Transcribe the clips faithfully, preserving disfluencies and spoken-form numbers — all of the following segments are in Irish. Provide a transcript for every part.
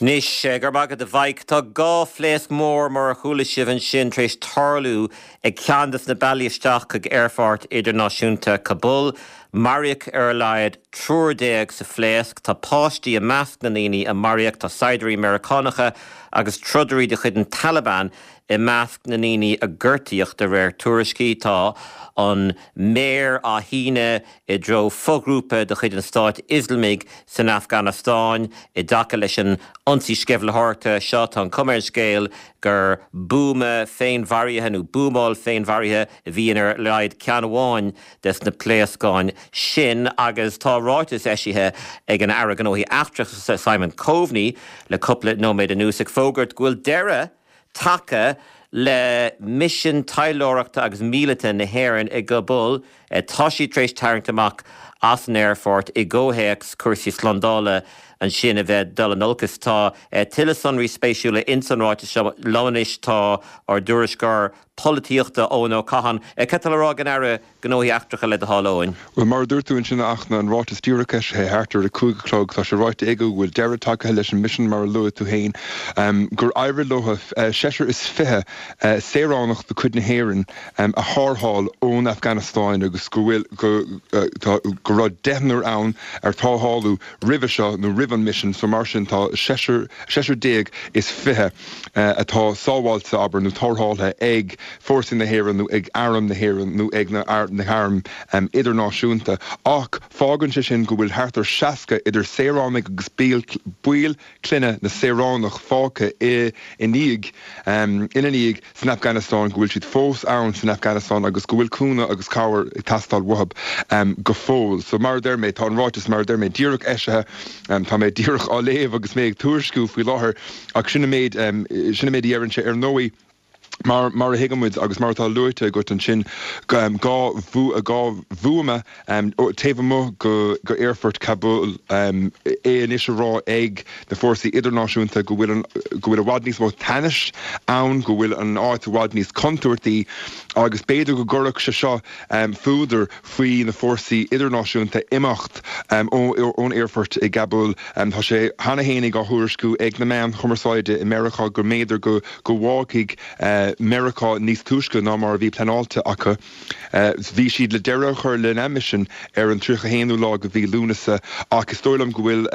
Anois, go raibh maith agat a Mhaidhc, tá dhá phléasc mór mar a chuala sibh ansin tar éis tarlú ag ceann de na bealaí isteach chuig aerfort idirnáisiúnta Kabul. Maraíodh ar a laghad triúr déag sa phléasc, tá páistí i measc na ndaoine a maraíodh, tá saighdiúirí Meiriceánacha agus trodairí de chuid an Taliban i measc na ndaoine a gortaíodh de réir tuairiscí. Tá an méar á shíneadh i dtreo foghrúpa de chuid an Stáit Ioslamaigh san Afganastáin i dtaca leis an ionsaí sceimhlitheoireachta seo. Tá an chuma ar an scéal gur buama féinmharaithe nó buamáil féinmharaithe a bhí in ar a laghad ceann amháin des na pléascáin sin agus tá ráiteas eisithe ag an Aire Gnóthaí Eachtracha Simon Coveney le cúpla nóiméad anuas ag fógairt go bhfuil deireadh tagtha le misean taidhleoireachta agus míleata na hÉireann i gCabul. Tá siad tar éis tarraingt amach as an aerfort i gcomhthéacs cúrsaí slándála ansin a bheith dul in olcas. Tá tuilleadh sonraí spéisiúla ins an ráiteas seo. Liom anois tá ár dtuairisceoir polaitíochta Eoin Ó Catháin. Cad tá le rá ag an Aire Gnóthaí Eachtracha le do thoil, Eoin? Bhuel, mar a dúirt tú ansin, a Fhachtna, an ráiteas díreach eisithe thart ar a cúig a chlog, tá sé ráite aige go bhfuil deireadh tagtha leis an misean mar a luaigh tú féin, gur éirigh leo seisear is fiche saoránach de chuid na hÉireann a tharrtháil ón Afganastáin agus go bhfuil go go raibh deichniúr ann ar tarrtháladh roimhe seo nó roimh an misean so mar sin tá seisear seisear déag is fiche atá sábháilte, abair, nó tarrtháilte ag fórsaí na hÉireann nó ag arm na hÉireann nó ag na na hairm idirnáisiúnta. Ach fágann sé sin go bhfuil thart ar seasca idir saoránaigh agus baill clainne na saoránach fágtha i i ndiaidh ina ndiaidh san Afganastáin, go bhfuil siad fós ann san Afganastáin agus go bhfuil cúnamh agus cabhair ag teastáil uathu go fóill. So mar a deir mé, tá an ráiteas mar a deir mé díreach eisithe, tá mé díreach á léamh agus mé ag tuairisciú faoi láthair ach sin an méid sin an méid a deireann sé. Ar ndóigh, Mar mar a thuigeann muid agus mar atá luaite agat ansin, dhá dhá bhuama taobh amuigh go go aerfort Kabul, é anois á rá ag na fórsaí idirnáisiúnta go bhfuil an go bhfuil i bhfad níos mó teannais ann, go bhfuil an áit i bhfad níos contúirtí agus b'fhéidir go gcuirfeadh sé seo fuadar faoi na fórsaí idirnáisiúnta imeacht ón aerfort i gCabul. Tá sé cheana fhéinig á thuairisciú ag na meáin chumarsáide i Meiriceá go mb'fhéidir go go bhfágfaidh Meiriceá níos túisce ná mar a bhí pleanáilte acu. Bhí siad le deireadh a chur lena misean ar an tríocha haonú lá de mhí Lúnasa ach is dóigh liom go bhfuil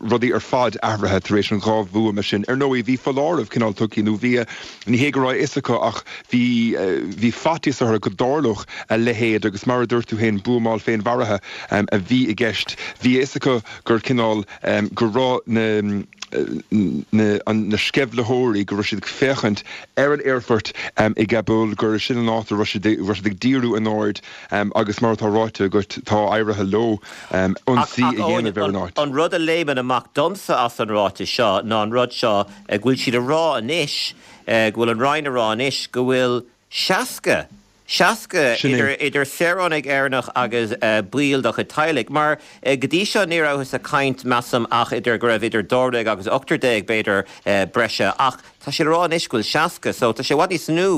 rudaí ar fad athraithe tar éis an dhá bhuama sin. Ar ndóigh, bhí foláireamh cineál tugtha nó bhí, ní hé go raibh a fhios acu ach bhí, bhí faitíos orthu go dtarlódh a leithéid agus mar a dúirt tú féin, buamáil féinmharaithe a bhí i gceist. Bhí a fhios acu gur cineál, go raibh na. na sceimhlitheoirí, go raibh siad ag féachaint ar an aerfort i gCabul, gur sin an áit a raibh siad ag díriú a n-aird agus mar atá ráite agat, tá éirithe leo ionsaí a dhéanamh ar an áit. An rud a léimeann amach domsa as an ráiteas seo ná an rud seo go bhfuil siad a rá anois, go bhfuil an Roinn a rá anois go bhfuil seasca seasca Sin é. idir saoránaigh Éireannach agus baill dá chuid teaghlaigh, mar go dtí seo ní rabhthas ag caint, measaim, ach idir go raibh idir dáréag agus ochtar déag, b'fhéidir, breise, ach tá siad a rá anois go bhfuil seasca, so tá sé i bhfad níos mó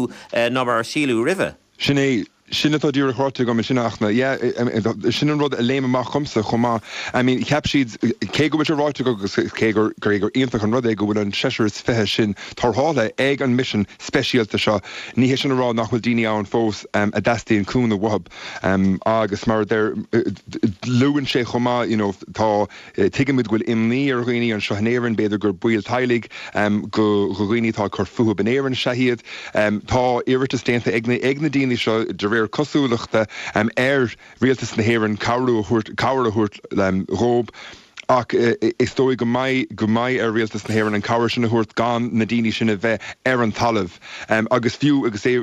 ná mar a síleadh roimhe. Sin é. Sin atá díreach ráite agam ansin, a Fhachtna. Yeah, sin an rud a léim amach dhomsa chomh maith. I mean, cheap siad, cé go bhfuil sé ráite acu agus cé gur, gur iontach an rud é go bhfuil an seisear is fiche sin tarrtháilte ag an misean speisialta seo, Ní hé sin a rá nach bhfuil daoine ann fós a dteastaíonn cúnamh uathu agus mar a deir, luann sé chomh maith, you know, tá, tuigimid go bhfuil imní ar dhaoine anseo in Éirinn, b'fhéidir gur baill teaghlaigh go dhaoine atá ag cur fúthu in Éirinn is ea iad. Tá iarratas déanta ag na, ag na daoine seo de réir cosúlachta ar Rialtas na hÉireann cabhrú a thabhairt, cabhair a thabhairt dhóibh. Ach is dóigh go mbeidh go mbeidh ar Rialtas na hÉireann an cabhair sin a thabhairt gan na daoine sin a bheith ar an talamh. Agus fiú agus é,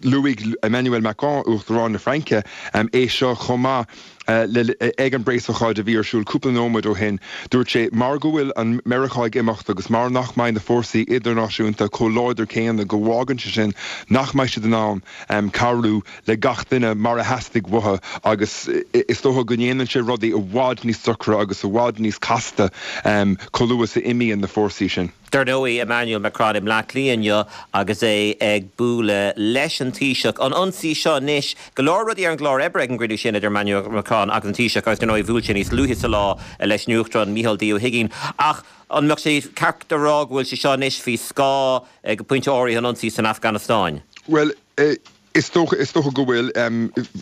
luaigh Emmanuel Macron, Uachtarán na Fraince, é seo chomh maith ag an bpreasócáid a bhí ar siúl cúpla nóiméad ó shin. Dúirt sé, mar go bhfuil an Meiriceá ag imeacht agus mar nach mbeidh na fórsaí idirnáisiúnta chomh láidir céanna go bhfágann sé sin nach mbeidh siad in ann cabhrú le gach duine mar a theastaigh uathu agus is dócha go ndéanann sé rudaí i bhfad níos deacra agus i bhfad níos casta chomh luath is a imíonn na fórsaí sin. Dar ndóigh Emmanuel Macron i mBleá Cliath inniu agus é ag bualadh leis an Taoiseach. An ionsaí seo anois go leor rudaí ar an gclár oibre ag an gcruinniú sin idir Emmanuel Macron agus an Taoiseach agus dar ndóigh bhuail sé níos luaithe sa lá leis an Uachtarán Micheál D. Ó hUiginn. Ach an mbeadh sé ceart a rá go bhfuil sé seo anois faoi scáth ag pointe áirithe an ionsaí san Afganastáin. Well, uh, Is dócha is dócha go bhfuil um,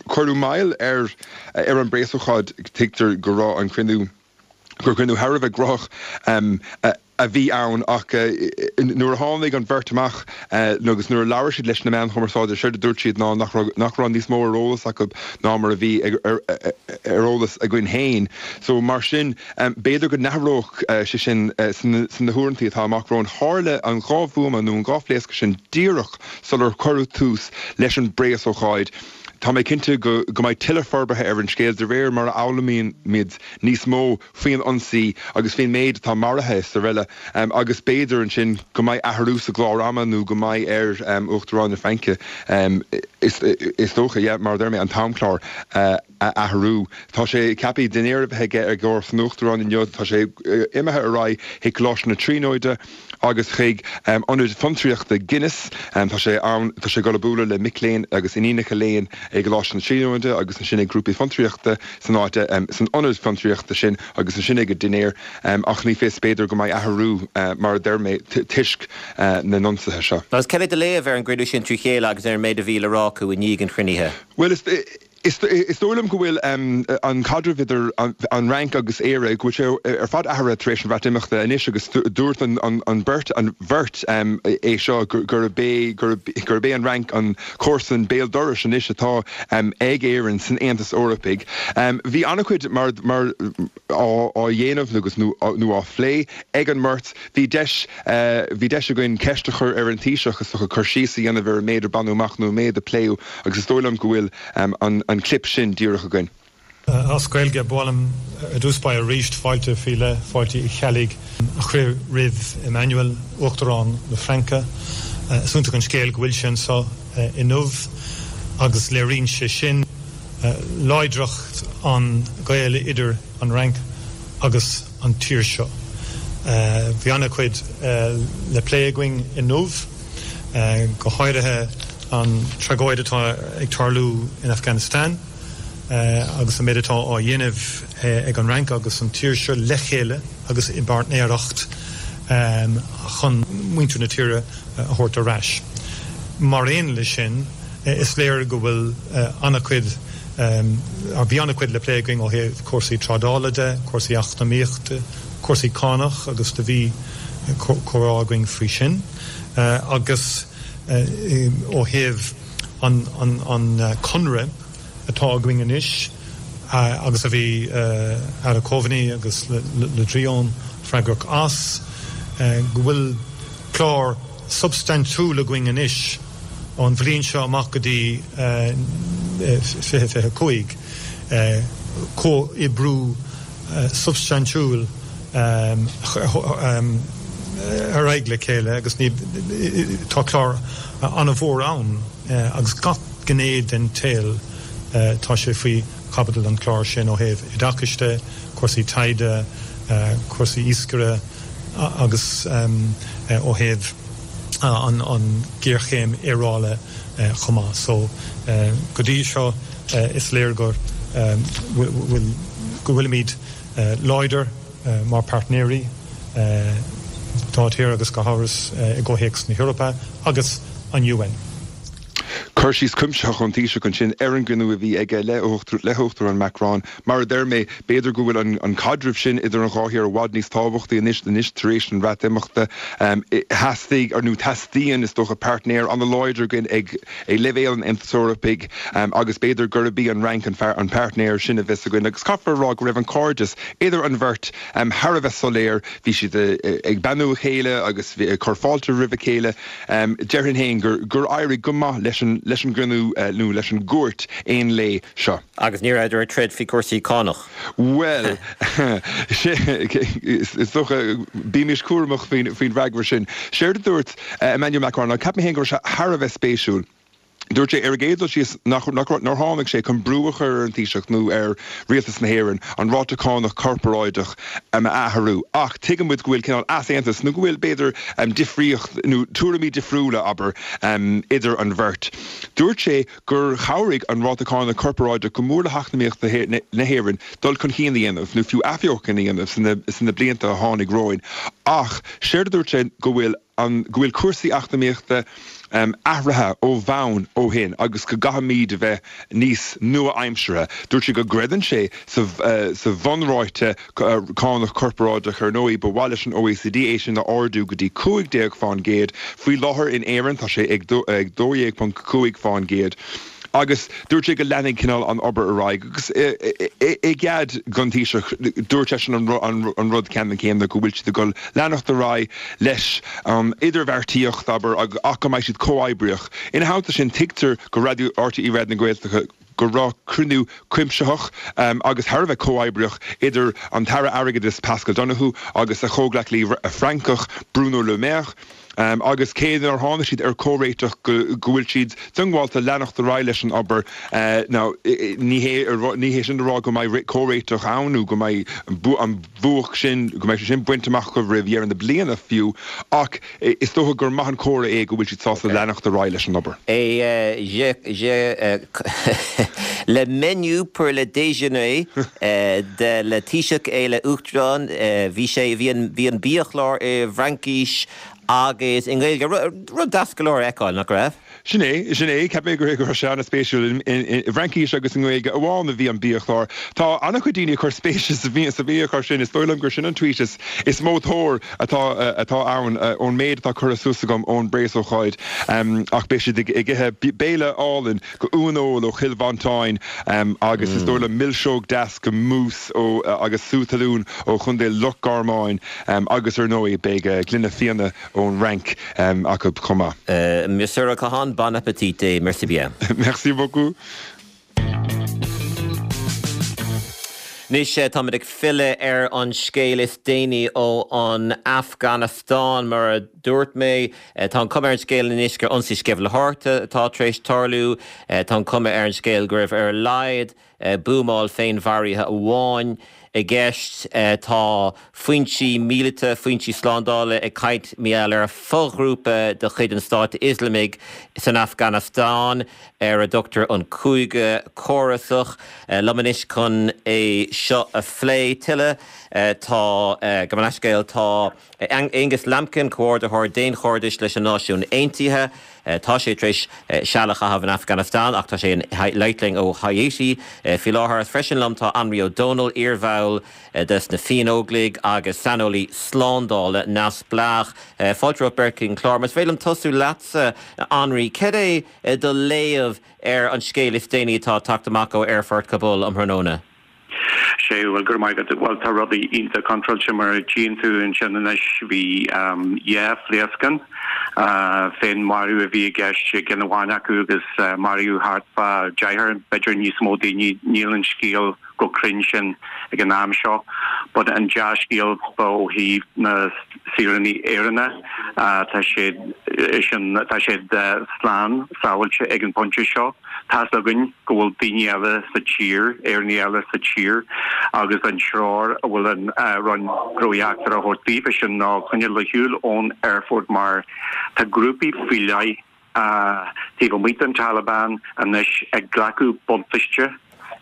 cuireadh moill ar ar an bpreasócáid tuigtear go raibh an cruinniú gur cruinniú thar a bheith gnóthach um, a bhí ann ach nuair a tháinig an bheirt amach agus nuair a labhair siad leis na meáin chumarsáide séard a dúirt siad ná nach nach raibh níos mó ar eolas acu ná mar a bhí ar eolas againn féin. So mar sin b'fhéidir go n-athródh sé sin sna huaireanta atá amach romhainn tharla an dhá bhuama nó an dhá phléasc sin díreach sular cuireadh tús leis an bpreasócáid. Tá mé cinnte go go mbeidh tuilleadh forbartha ar an scéal de réir mar a fhoghlaimímid níos mó faoin ionsaí agus faoin méid atá maraithe is araile um, agus b'fhéidir ansin go mbeidh athrú sa gclár ama nó go mbeidh ar um, Uachtarán na Fraince um, is, is dócha yeah, mar deir mé an t-amchlár uh, a athrú. Tá sé ceaptha dinnéar a bheith aige ar gcóir san Uachtarán inniu tá sé uh, imithe ar aghaidh chuig Coláiste na Tríonóide agus chuig um, ionad fiontraíochta Guinness um, tá sé ann tá sé ag bualadh le mic léinn agus iníonacha léinn ag Coláiste na Tríonóide agus ansin ag grúpaí fiontraíochta san áit um, san ionad fiontraíochta sin agus ansin ag dinnéar um, ach ní fios b'fhéidir go mbeidh athrú uh, mar deir mé toisc uh, na n-ionsaithe seo. Agus cad é do léamh ar an gcruinniú sin trí chéile agus ar an méid a bhí le rá acu i ndiaidh an chruinnithe. Well is Is is dóigh liom go bhfuil um, an caidreamh idir an, an Fhrainc agus Éire go bhfuil sé ar fad athraithe tar éis an Bhreatimeachta anois agus dúirt an, an, an beirt an bheirt um, é seo gurb é gurb é an Fhrainc an comharsan béal dorais anois atá um, ag Éirinn san Aontas Eorpaigh. Um, bhí an-chuid mar, mar á, á dhéanamh agus nó, nó á phlé ag an mbeirt bhí deis uh, bhí deis againn ceist a chur ar an Taoiseach is a chur síos a dhéanamh ar an méid a baineadh amach nó méid a pléadh agus is dóigh liom go bhfuil um, an, an clip sin díreach againn. As Gaeilge b'áil liom i dtús báire arís fáilte faoi leith Fáilte Uí Cheallaigh a chur roimh Emmanuel Uachtarán na Fraince. Is iontach an scéal go bhfuil sé anseo inniu agus léiríonn sé sin láidreacht an ghaoil idir an Fhrainc agus an tír seo. Bhí an-chuid le plé againn inniu go háirithe an tragóid atá ag tarlú in Afghanistan agus an méid atá á dhéanamh ag an Fhrainc agus an tír seo le chéile agus i bpáirtnéireacht chun muintir na tíre a thabhairt ar ais. Mar aon leis sin is léir go bhfuil an-chuid bhí an-chuid le plé againn ó thaobh cúrsaí trádála de, cúrsaí eacnamaíochta, cúrsaí cánach agus do bhí comhrá againn faoi sin agus ó thaobh an, an, an conradh atá againn anois agus a bhí Aire Coveney agus Le Drian freagrach as go bhfuil clár substaintiúil againn anois ón bhliain seo amach go dtí fiche fiche cúig comhoibriú substaintiúil ar aghaidh le chéile agus ní tá clár an-mhór ann agus gach gné den tsaol tá sé faoi chaibidil an chlár sin ó thaobh oideachais de, cúrsaí taighde, cúrsaí iascaire agus ó thaobh an an ghéarchéim aeráide chomh maith. So go dtí seo is léir gur bhfuil go bhfuilimid láidir mar páirtnéirí dá tír agus go háirithe i gcomhthéacs na hEorpa agus an UN. Cur síos cuimsitheach ón Taoiseach ansin ar an gcruinniú a bhí aige le le hUachtarán Macron, mar a deir mé b'fhéidir go bhfuil an, an caidreamh sin idir an dhá thír i bhfad níos tábhachtaí anois anois tar éis an Bhreatimeachta um, theastaigh ar nó teastaíonn is dócha páirtnéir an-láidir againn ag ag leibhéal an Aontais Eorpaigh um, agus b'fhéidir gurb í an Fhrainc an, an páirtnéir sin a bheas againn agus caithfear rá go raibh an cairdeas idir an bheirt um, thar a bheith soiléir bhí siad ag beannú a chéile agus cur fáilte roimh a chéile um, déarfainn féin gur gur éirigh go maith leis an leis an gcruinniú uh, nó leis an gcuairt aon lae seo. Agus ní rabhadar ag troid faoi cúrsaí cánach. Well is dócha bímis cúramach faoin faoin bhfreagra sin. Séard a dúirt uh, Emmanuel Macron, ceapaim féin go raibh sé thar a bheith spéisiúil. Dúirt sé ar an gcéad dul síos nach nár tháinig sé chun brú a chur ar an Taoiseach nó ar rialtas na hÉireann an ráta cánach corparáideach a athrú. Ach tuigeann muid go bhfuil cineál easaontas nó go bhfuil b'fhéidir difríocht nó tuairimí difriúla abair idir an bheirt. Dúirt sé gur chabhraigh an ráta cánach corparáideach go mór le heacnamaíocht na hÉireann dul chun cinn a dhéanamh nó fiú athbheochan a dhéanamh sna blianta a tháinig romhainn. Ach séard a dúirt sé go bhfuil an go bhfuil cúrsaí eacnamaíochta um, athraithe ó bhonn ó shin agus go gcaithfimid a bheith níos nua-aimseartha. Dúirt sé go gcreideann sé sa, uh, sa bhunráta uh, cánach corparáideach ar ndóigh ba mhaith leis an OECD é sin a ardú go dtí cúig déag faoin gcéad faoi láthair in Éirinn tá sé ag dó dhéag ponc cúig faoin gcéad. Agus dúirt sé go leanfaidh cineál an obair ar aghaidh agus i gcead don Taoiseach dúirt seisean an rud ceannann céanna go bhfuil siad ag dul leanacht ar aghaidh leis an idirbheartaíocht abair ach go mbeidh siad comhoibríoch. Ina theannta sin tuigtear go Raidió RTÉ Raidió na Gaeltachta go raibh cruinniú cuimsitheach um, agus thar a bheith comhoibríoch idir an tAire Airgeadais Paschal Donohoe agus a chomhghleacaí Francach Bruno Le Maire. Um, agus cé nár tháinig siad ar chomhréiteach go bhfuil siad diongbháilte leanacht ar aghaidh leis an obair uh, ní hé sin rá go mbeidh comhréiteach ann nó go mbeidh an bhuach sin go mbeidh sin bainte amach go roimh dheireadh na bliana fiú ach is dócha gur maith an comhartha é go bhfuil siad sásta leanacht ar aghaidh leis an obair. Et euh, j'ai, j'ai, euh, le menu pour le déjeuner euh, de le Taoiseach et le Uachtarán euh, bhí sé bhí an bhí an biachlár i bhFraincis agus i nGaeilge rud deas go leor a fheiceáil nach raibh? Sin é sin é ceap mé gur gur sé an-spéisiúil i bhFraincis agus i nGaeilge amháin a bhí an biachlár. Tá an-chuid daoine ag cur spéise sa bhí sa bhiachlár sin is dóigh liom gur sin an tweet is is mó tóir atá atá ann ón méid atá curtha suas agam ón bpreasócáid ach beidh siad ag ithe béile álainn go uaineoil ó Chill Mhantáin agus is dóigh liom milseog deas go mousse ó agus sú talún ó Chontae Loch Garmáin agus ar ndóigh beidh gloine fíona ón Fhrainc acu chomh maith. Monsieur Cahan, bon appétit et merci bien. Merci beaucoup. Anois táimid ag filleadh ar an scéal is déanaí ó an Afganastáin mar a dúirt mé tá an chuma ar an scéal anois gur ionsaí sceimhlitheoireachta atá tar éis tarlú, tá an chuma ar an scéal go raibh ar a laghad buamáil féinmharaithe amháin i gceist tá foinsí míleata, foinsí slándála ag caint mar gheall ar foghrúpa de chuid an Stáit Ioslamaigh san Afganastáin ar a dtugtar an Cúige Córasach liom anois chun é seo a phlé tuilleadh tá go leithscéal tá Angus Lambkin comhordaitheoir daonchairdis leis an Náisiún Aontaithe. Tá sé tar éis seal a chaitheamh in Afganastáin ach tá sé ag labhairt linn ó Haiti faoi láthair freisin liom tá Anraí Ó Dónaill iarbhall de na Fiannóglaigh agus saineolaí slándála neamhspleách. Fáilte romhat beirt chuig an chlár, Más féidir liom tosú leatsa Anraí, cad é do léamh ar an scéal is déanaí atá ag teacht amach ó aerfort Kabul um thráthnóna? sé bhfuil gur mai bhfuil tá rudaí iontach contráilte mar a tchíonn tú ansin anois bhí dhá phléascán féinmharú a bhí i gceist i gceann amháin acu agus maraíodh thart fá deichniúr b'fhéidir níos mó daoine níl an scéal go cruinn sin ag an am seo but an dea-scéal ó thaobh na saoránaigh Éireannacha tá siad sin tá siad slán sábháilte ag an bpointe seo. Tá's againn go bhfuil daoine eile sa tír, Éireannaigh eile sa tír agus an treoir a bhfuil an Roinn Gnóthaí Eachtracha a thabhairt daofa sin ná coinneáil ar shiúl ón aerfort mar tá grúpaí faoi leith taobh amuigh den Taliban anois ag glacadh buntáiste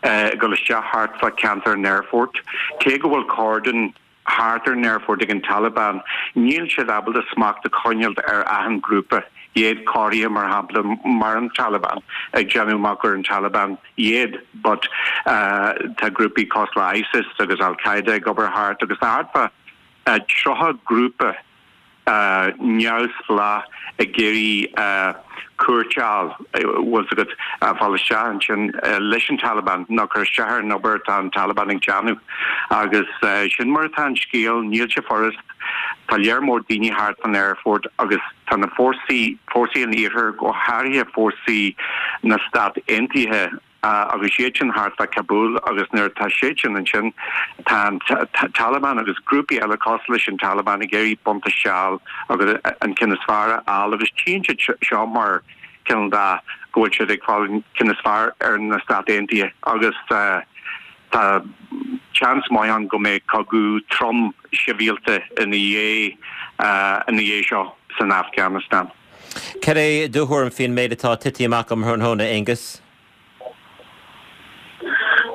ag dul isteach thart fá cheantar an aerfoirt. Cé go bhfuil cordon thart ar an aerfort ag an Taliban, níl siad ábalta smacht a choinneáil ar achan grúpa, iad cóirithe mar shampla mar an Taliban, ag déanamh amach gur an Taliban iad, but tá grúpaí cosúil le ISIS agus Al Qaeda ag obair thart agus tá thart fá tríocha grúpa neamhspleách ag iarraidh cuairt a fháil, bhfuil 's agat, fáil isteach ansin leis an Taliban nó cur isteach ar an obair atá an Taliban ag déanamh. Agus sin mar atá an scéal, níl sé furast, tá léar mór daoine thart fan aerfort agus tá na fórsaí, fórsaí an Iarthair, go háirithe fórsaí na Stát Aontaithe, agus iad sin thart fá Kabul agus nuair atá siad sin ansin tá an Taliban agus grúpaí eile cosúil leis an Taliban ag iarraidh buntáiste a fháil agus an ceann is fearr a fháil agus tchíonn siad seo mar cineál de go bhfuil siad ag fáil an ceann is fearr ar na Stáit Aontaithe agus tá seans maith ann go mbeidh cogadh trom sibhialta ina dhiaidh ina dhiaidh seo san Afganastáin. Cad é do thuairim faoin méid atá tite amach um thráthnóna, Aengus?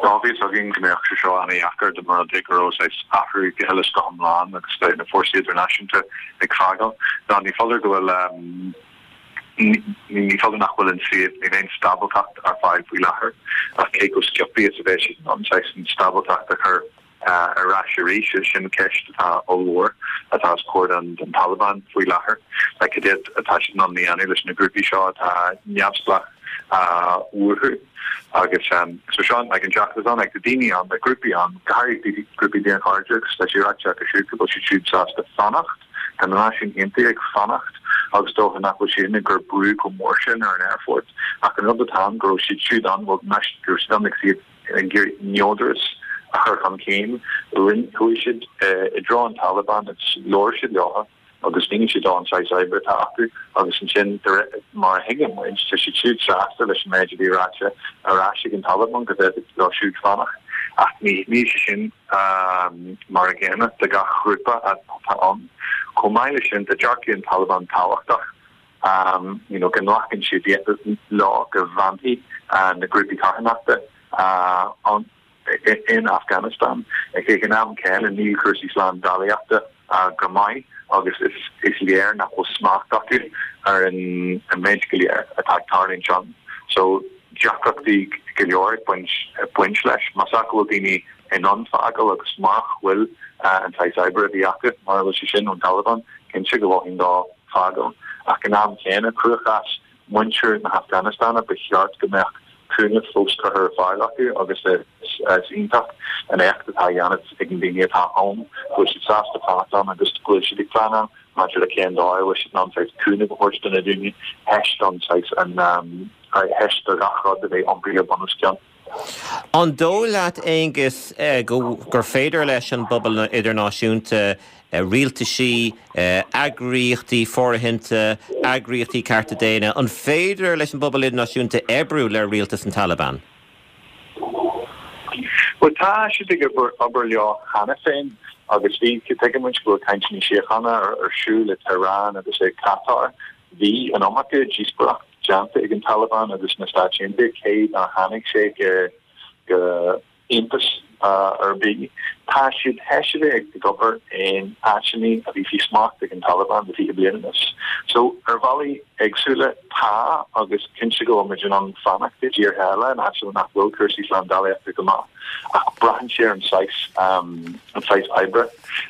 Bhí a fhios againn go mbeadh sé seo an-deacair dá mba rud é go raibh saghas athrú go huile is go hiomlán agus na fórsaí idirnáisiúnta ag fágáil. Ná ní foláir go bhfuil ní foláir nach bhfuil an suíomh níl aon stábilteacht ar fáil faoi láthair ach cé chomh sciobtha is a bheidh siad in ann saghas an stábilteacht a chur ar ais arís sin ceist atá ollmhór atá os comhair an den Taliban faoi láthair. Like cad é atá siad in ann a dhéanamh leis na grúpaí seo atá neamhspleách uathu agus um, so seo like an deacracht ann like, daoine ann na grúpaí ann go háirithe grúpaí daonchairde agus tá sé ráite acu siúd go bhfuil siad siúd sásta fanacht Tá na Náisiúin Aontaithe ag fanacht agus dócha nach bhfuil siad ag cur brú chomh mór sin ar an aerfort ach an rud atá ann go raibh siad siúd ann bhfuil go raibh siad ann ag siad ag iarraidh neodrachas a chur chun cinn chuaigh siad i dtreo an Taliban agus labhair siad leo agus mhínigh siad an saghas oibre atá acu agus ansin mar a thuigeann muid tá siad siúd sásta leis an méid a bhí ráite ar ais ag an Taliban go bhféadfadh leo siúd fanacht ach ní ní sé sin mar an gcéanna do gach grúpa atá ann. Chomh maith leis sin tá dearcadh an Taliban tábhachtach um, you know, go nglacann siad leo go bhfanfaidh uh, na grúpaí carthanachta uh, an in Afghanistan. Ag an am céanna níl cúrsaí slándálaíochta uh, go maith agus is, is léir nach bhfuil smacht acu ar an, an méid go léir atá ag tarlú ansin. So deacrachtaí go leor ag baint, baint leis, más ea go bhfuil daoine in ann fágáil agus mura bhfuil uh, an saghas oibre a bhí acu mar bhfuil sé sin ón Taliban cinnte go bhfuil dá fágáil. Ach an am céanna cruachás muintir na hAfganastáine ba cheart go mbeadh cúnamh fós curtha ar fáil acu agus is iontach an éacht atá déanta ag na daoine atá ann go bhfuil siad sásta fanacht ann agus go bhfuil siad ag pleanáil maidir le cén dóigh a bhfuil siad in ann saghas cúnamh a thabhairt do na daoine théis don saghas an théis do gach rud a bheith iompaithe bunoscionn. An dóigh leat Aengus gur féidir leis an bpobal idirnáisiúnta rialtaisí, eagraíochtaí fóirithinte, eagraíochtaí cearta daonna, an féidir leis an bpobal idirnáisiúnta oibriú le rialtas an Taliban? Well tá siad ag obair leo cheana féin agus bhí tuigimid go bhfuil cainteanna síochána ar ar siúl i Tehran agus i Qatar. Bhí an iomarca díospóireacht déanta ag an Taliban agus na Stáit Aontaithe cé nár tháinig sé go go aontas ar bith. Tá siad théis a bheith ag obair in áiteanna a bhí faoi smacht ag an Taliban le fiche bliain anuas. So ar bhealaí éagsúla tá agus cinnte go bhfuil muid in ann fanacht i dtíortha eile in áiteanna nach bhfuil cúrsaí slándálaíochta go maith. Ach braitheann sé ar an saghas um, an saghas oibre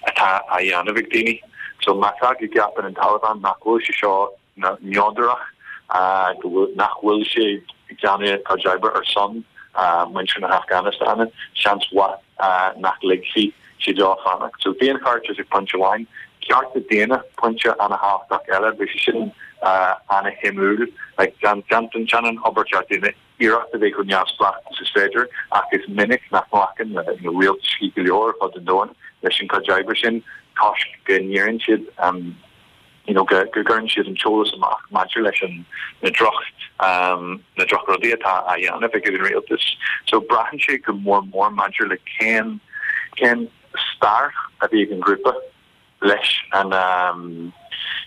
atá á dhéanamh ag daoine. So má tá go gceapann an Taliban nach bhfuil sé seo neodrach uh, nach bhfuil sé ag déanamh cuid oibre ar son uh, muintir na hAfganastáine, seans mhaith uh, nach ligfidh siad leo fanacht. So daonchairdeas ag pointe amháin, cearta daonna pointe an-tábhachtach eile, bhí sé sin uh, an-shuimiúil, like, déanann obair cearta daonna iarracht a bheith chomh neamhspleách is is féidir ach is minic nach nglacann le you know, rialtais go leor fud an domhain leis an chuid oibre sin toisc go ndéanann siad um, you know, go go gcuireann siad an t-eolas amach maidir leis an na droch um, na drochrudaí atá á dhéanamh ag an rialtas. So braitheann sé go mór mór maidir le cén cén stair a bhí ag an grúpa leis an um,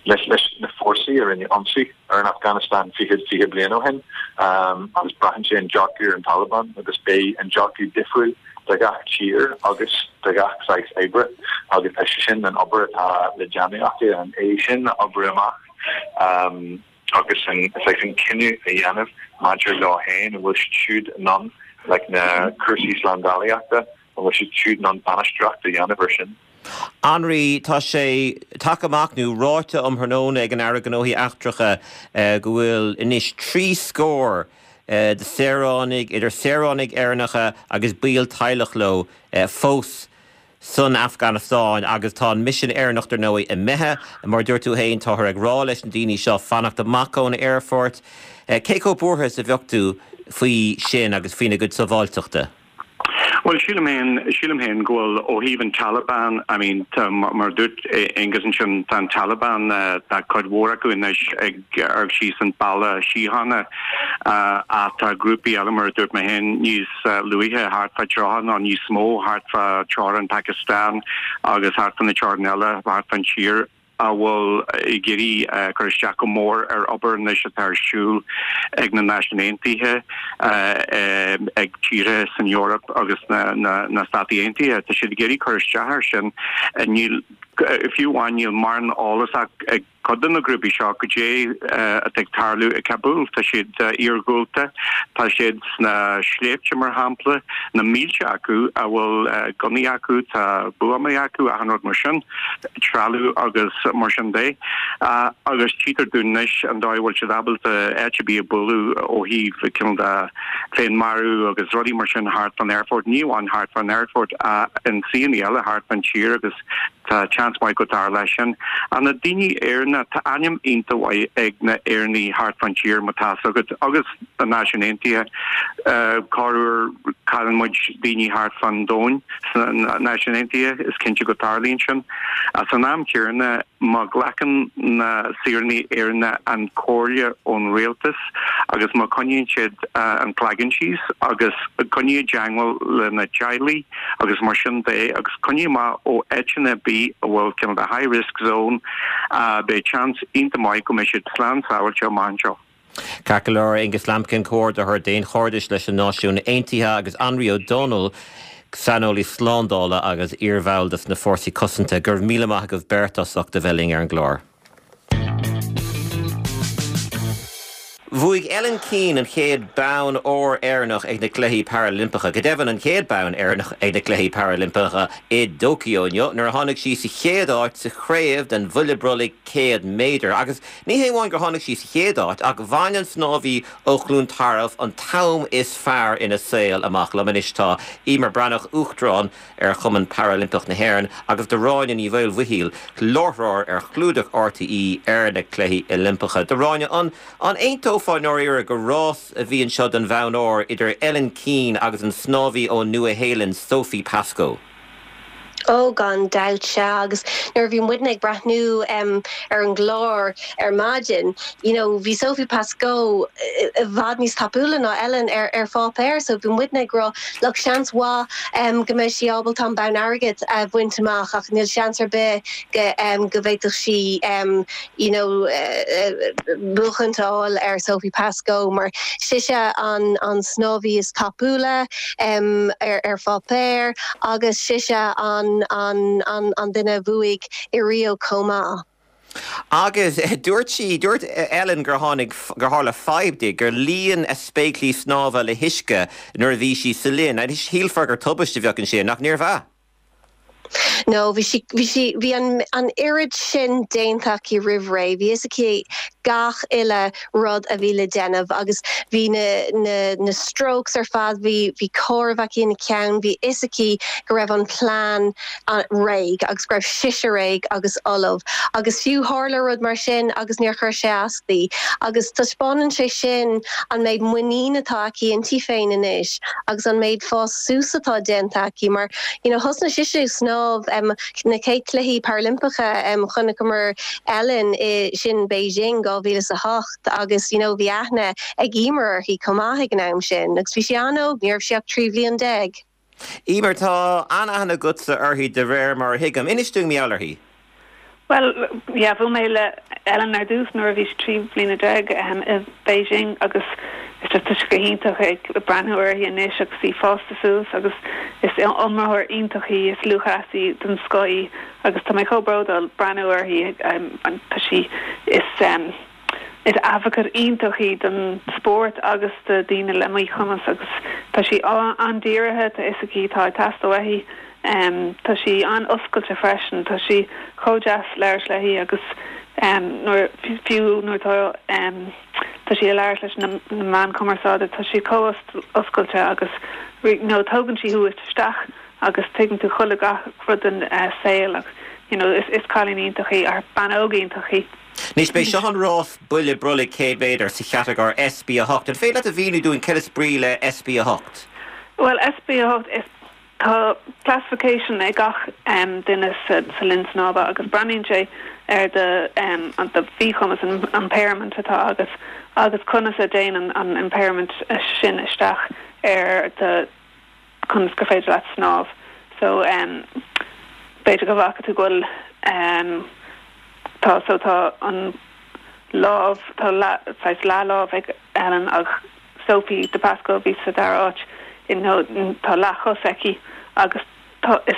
leis leis na fórsaí a rinne ionsaí ar an Afghanistan fiche fiche bliain ó shin um, agus braitheann sé an dearcadh ar an Taliban agus beidh an dearcadh difriúil do gach tír agus do gach saghas oibre agus tá sé sin an obair atá le déanamh acu an é sin a oibriú amach um, agus an saghas an cinneadh a dhéanamh maidir leo féin an bhfuil siad siúd in ann like na cúrsaí slándálaíochta an bhfuil siad siúd in ann bainistíocht a dhéanamh air sin. Anraí tá sé tagtha amach nó ráite um thráthnóna ag an Aire Gnóthaí Eachtracha go bhfuil anois trí scór de saoránaigh idir saoránaigh Éireannacha agus baill teaghlach leo fós san Afganastáin agus tá an misean Éireannach dar ndóigh imithe mar dúirt tú féin táthar ag rá leis na daoine seo fanacht amach ón aerfort. Cé chomh buartha is a bheadh tú faoi sin agus faoina gcuid sábháilteachta? Well sílim féin sílim féin go bhfuil ó thaobh an Taliban I mean tá mar dúirt Aengus ansin tá an Taliban uh, tá cuid mhór acu anois ag amharc síos an balla síochána uh, ach tá grúpaí eile mar dúirt mé féin níos uh, luaithe thart fá tríocha nó níos mó thart fá teorainn Pakistan agus thart fá na teorainn eile thart fán tír a bhfuil ag iarraidh cur isteach go mór ar obair anois atá ar siúl ag na Náisiúin Aontaithe ag tíortha san Eoraip agus na na na Stáit Aontaithe tá siad ag iarraidh cur isteach air sin níl fiú amháin níl mórán eolas ag cuid de na grúpaí seo goidé atá ag tarlú i Kabul tá siad iargúlta tá siad sna sléibhte mar shampla na mílte acu a bhfuil gunnaí acu tá buamaí acu achan rud mar sin trealamh agus mar sin de agus tchítear dúinn anois an dóigh bhfuil siad ábalta áit ar bith a bhualadh ó thaobh cineál de féinmharú agus rudaí mar sin thart an aerfort ní amháin thart an aerfort in suíomhanna eile thart an tír agus tá seans maith go dtarlóidh sin. An na daoine Éireannacha tá ainm iontach maith ag na Éireannaigh thart fán tír má tá agat agus na Náisiúin Aontaithe corruair cailleann muid daoine thart fán domhan sna Náisiúin Aontaithe is cinnte go dtarlaíonn sin. As an am céanna má ghlacann na saoránaigh Éireannacha an comhairle ón rialtas agus má choinníonn siad an cloigeann síos agus coinníonn i dteagmháil lena dteaghlaigh agus mar sin de agus coinní amach ó áiteanna ar bith a bhfuil cineál de high risk zone uh, beidh seans iontach maith go mbeidh siad slán sábháilte amach anseo. Ceart go leor Aengus Lambkin comhordaitheoir daonchairdis leis na Náisiúin Aontaithe agus Anraí Ó Dónaill saineolaí slándála agus iarbhall de na Fórsaí Cosanta go raibh míle maith agaibh beirt as ucht a bheith linn ar an gclár. Bhuaigh Ellen Keane an chéad bonn óir Éireannach ag na Cluichí Parailimpeacha, go deimhin an chéad bonn Éireannach ag na Cluichí Parailimpeacha i dTóiceo inniu, nuair a tháinig sí sa chéad áit sa chraobh den bhuille brollaigh céad méadar. Agus ní hé amháin gur tháinig sí sa chéad áit ach bhain an snámhaí ó Chluain Tarbh an t-am is fearr ina saol amach liom anois tá Emer Breathnach Uachtarán ar Chumann Parailimpeach na hÉireann agus Gráinne Ní Mhaolmhichíl láithreoir ar chlúdach RTÉ ar na Cluichí Oilimpeacha. Gráinne an an aontófá ndáiríre gur rás a bhí anseo don bhonn óir idir Ellen Keane agus an snámhaí ó Nua-Shéalainn Sophie Pascoe. Ó gan dabht sea agus nuair bhí muidne ag breathnú um, ar an gclár ar maidin, you know, bhí Sophie Pascoe i bhfad níos tapúla ná Ellen ar ar pháipéar, so bhí muidne ag rá look seans mhaith um, go mbeidh sí ábalta an bonn airgid a bhaint amach ach níl seans ar bith go um, go bhféadfadh sí um, you know, uh, buachan ar Sophie Pascoe mar sise an an snámhaí is tapúla um, ar ar pháipéar agus sise an an an an duine a bhuaigh i Rio chomh maith. Agus eh, dúirt sí dúirt Ellen gur tháinig gur tharla fadhb di gur líon a spéaclaí snámha le huisce nuair a bhí sí sa linn, a shílfeá gur tubaiste a bheadh ansin nach níorbh ea. No, bhí sí bhí sí bhí an an oiread sin déanta aici roimh ré, bhí fhios aici gach uile rud a bhí le déanamh agus bhí na na na strokes ar fad bhí bhí comhaireamh aici ina ceann, bhí fhios aici go raibh an plean réidh agus go raibh sise réidh agus ullamh. agus fiú tharla rud mar sin agus níor chuir sé as di. agus taispeánann sé sin an méid muinín atá aici inti féin anois agus an méid fás suas atá déanta aici mar you know, thosnaigh sise snámh um, na chéad cluichí Parailimpeacha um, chonaiceamar Ellen i sin Beijing dhá mhíle a hocht agus you know, bhí aithne ag Emer uirthi chomh maith ag an am sin, agus bhí sí an-óg ní raibh sí ach trí bliana déag. Emer tá an-aithne agatsa uirthi de réir mar a thuigim, inis dúinn mar gheall uirthi. Well yeah, bhuail mé le Ellen ar dtús nuair a bhí trí bliana déag um, i Beijing agus is just tá go hiontach ag breathnú uirthi anois agus í fásta suas agus is imreoir iontach í is lúthchleasaí den scoth í agus tá mé chomh bródúil breathnú uirthi um, tá sí is um, is advocate iontach í don spórt agus do daoine le míchumas agus tá sí an-dírithe tá fhios aici tá teastáil uaithi um, tá sí an-oscailte freisin tá sí chomh deas labhairt léi agus um, nuair fiú nuair tá um, tá sí ag labhairt leis na, na meáin chumarsáide tá sí chomh oscailte agus nó tógann sí thú isteach agus tuigeann tú chuile gach rud den uh, saol ach you know, is, is cailín iontach í ar bean óg iontach í. Anois b'é seo an rás buille brollaigh céad méadar sa chatagóir SB a hocht. An féidir leat a mhíniú dúinn cad is brí le SB a hocht? Well SB a hocht is Tá classification ag gach um, duine sa, sa linn snámha agus breathnaíonn sé ar do um, an do mhíchumas an impairment atá agat agus conas a dtéann an, an impairment sin isteach ar do conas gur féidir leat snámh. So um, b'fhéidir go bhfaca tú go bhfuil um, tá so tá an lámh tá leathlámh ag Ellen ach Sophie de Pasco bhí sa dara háit in tá leathchos aici agus tá is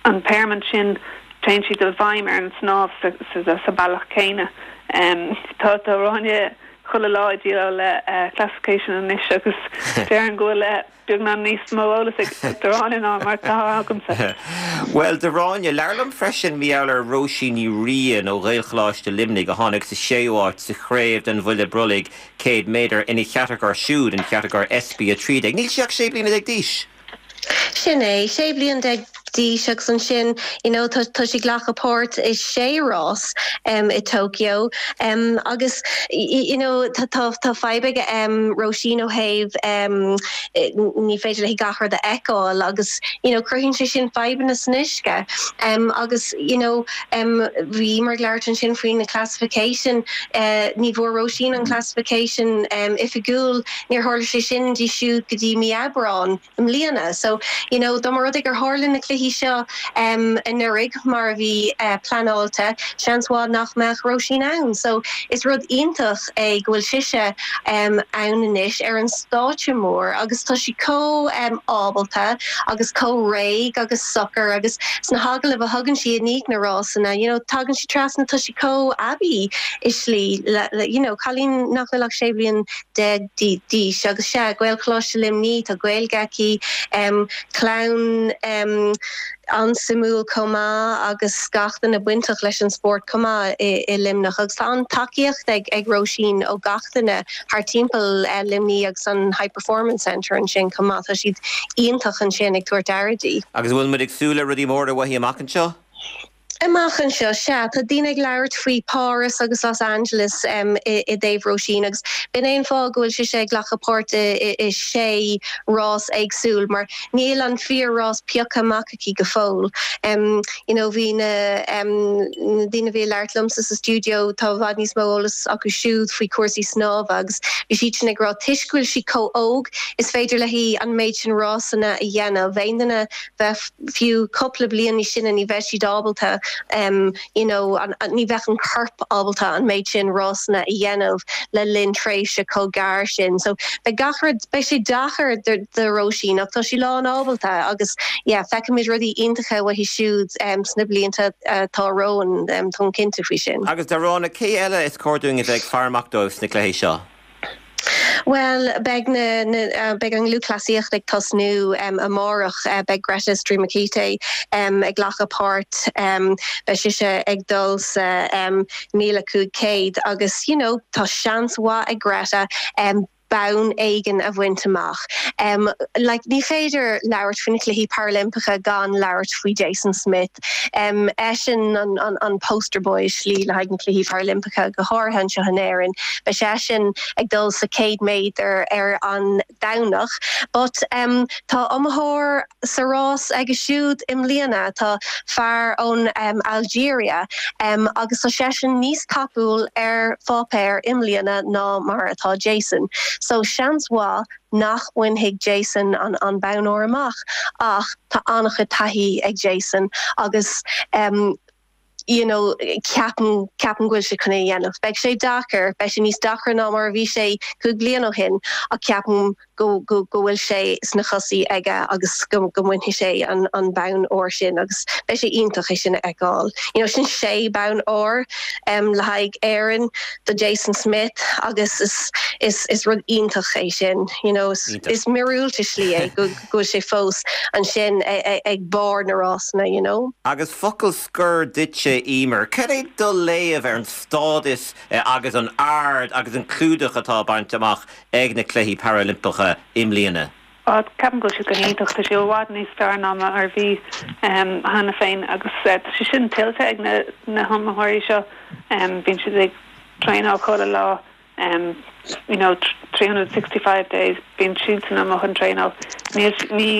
an impairment sin téann siad i bhfeidhm ar an snámh sa, sa, sa bealach céanna. Um, tá tá Ráine chuile lá ag déileáil le uh, classification anois agus déarfainn go bhfuil uh, beagnach níos mó eolas ag Ráine ná mar atá agamsa. Well de Ráine labhair liom freisin mar gheall ar Róisín Ní Riain ó Ghaelcholáiste Luimnigh a tháinig sa séú háit sa chraobh den bhuille brollaigh céad méadar ina chatagóir siúd an chatagóir SB a trí déag. Níl sí ach sé bliana déag d'aois. Sin é sé bliana déag d'aois agus ansin you know, tá tá sí ag glacadh páirt i sé rás um, i Tokyo um, agus you know, tá tá tá fadhb ag um, Róisín ó thaobh um, ní féidir léi gach rud a fheiceáil agus you know, cruthaíonn sé sin fadhbanna san uisce um, agus you know, um, bhí mar labhairt ansin faoi na classification uh, ní bhfuair Róisín an classification um, oifigiúil níor tharla sé sin di siúd go dtí mí Aibreán i mbliana so you know, dá mba rud é gur tharla na cluichí seo um, anuraidh mar a bhí uh, pleanáilte seans maith nach mbeadh Róisín ann. So is rud iontach é go bhfuil sise um, ann anois ar an stáitse mór agus tá sí chomh um, ábalta agus chomh réidh agus socair agus sna hagallaimh a thugann sí i ndiaidh na rásanna, you know, tagann sí trasna tá sí chomh aibí i slí le, le, you know, cailín nach bhfuil ach sé bliana déag d'aois agus sé Gaelcholáiste Luimnigh tá Gaeilge aici um, clann um, an-suimiúil chomh maith agus gach duine bainteach leis an spórt chomh maith i, i Luimneach agus tá an tacaíocht ag ag Róisín ó gach duine thar timpeall uh, Luimnigh agus an High Performance Centre ansin chomh maith tá siad iontach ansin ag tabhairt aire di. Agus bhfuil muid ag súil le rudaí móra uaithi amach anseo? Amach anseo sé tá daoine ag labhairt faoi Paris agus Los Angeles um, i, i dtaobh Róisín agus b'in é an fáth go bhfuil sé sé ag glacadh páirt i, i, i sé rás éagsúil mar níl an fíor-rás pioctha amach aici go fóill. Um, you know, bhí na um, na daoine bhí labhairt liomsa sa studio tá i bhfad níos mó eolas acu siúd faoi cúrsaí snámha agus bhí siad sin ag rá toisc go bhfuil sí chomh hóg is féidir léi an méid sin rásanna a dhéanamh. Aon duine bheith fiú cúpla bliain níos sine ní bheadh siad ábalta um, you know, an, an, ní bheadh an corp ábalta an méid sin rásanna a dhéanamh le linn tréimhse chomh gearr sin. So beidh gach rud beidh sé deacair do Róisín ach tá sí lán ábalta agus yeah, feicfimid rudaí iontacha uaithi siúd um, sna blianta atá uh, romhainn um, tá cinnte faoi sin. Agus Darána cé eile is cóir dúinn a bheith ag faire amach dóibh sna cluichí seo. Well beidh na, na uh, beidh an lúthchleasaíocht ag tosnú um, amárach uh, beidh Greta Streamaketé um, ag glacadh páirt um, beidh sise ag dul sa um, míle cúig céad agus you know, tá seans mhaith ag Greta um, bonn éigin a bhaint amach. Um, like, ní féidir labhairt faoi na cluichí Paralimpeacha gan labhairt faoi Jason Smith. Um, eisean an, an, an poster boy slí le haghaidh na cluichí Paralimpeacha go háirithe anseo in Éirinn. Beidh seisean ag dul sa céad méadar ar an Domhnach, but um, tá iomaitheoir sa rás aige siúd i mbliana tá fear ón um, Algeria um, agus tá seisean níos tapúla ar pháipéar i mbliana ná mar atá Jason. So seans mhaith nach mbainfidh Jason an an bonn óir amach ach tá an-chuid taithí ag Jason agus um, you know, ceapaim ceapaim go bhfuil sé chun é dhéanamh. Beidh sé deacair, beidh sé níos deacra ná mar a bhí sé cúig bliana ó shin ach ceapaim go go go bhfuil sé sna chosaí aige agus go go mbainfidh sé an an bonn óir sin agus beidh sé iontach é sin a fheiceáil. You know, sin sé bonn óir um, le haghaidh Éirinn do Jason Smith agus is is is rud iontach é sin you know, is, is míorúilt i slí é go go sé fós ansin ag barr na rásanna you know. Agus focal scoir duitse Emer, Cad é do léamh ar an stádas eh, agus an ard agus an clúdach atá bainte amach ag na cluichí Paralimpeacha i mbliana. Ceapaim go bhfuil sé go hiontach tá sé i bhfad níos fearr ná mar a bhí cheana féin agus eh, tá sé sin tuillte ag na na hiomaitheoirí seo bíonn siad ag traenáil chuile lá um, you know, three hundred and sixty five days, bíonn siadsan amuigh ag traenáil. Níl, ní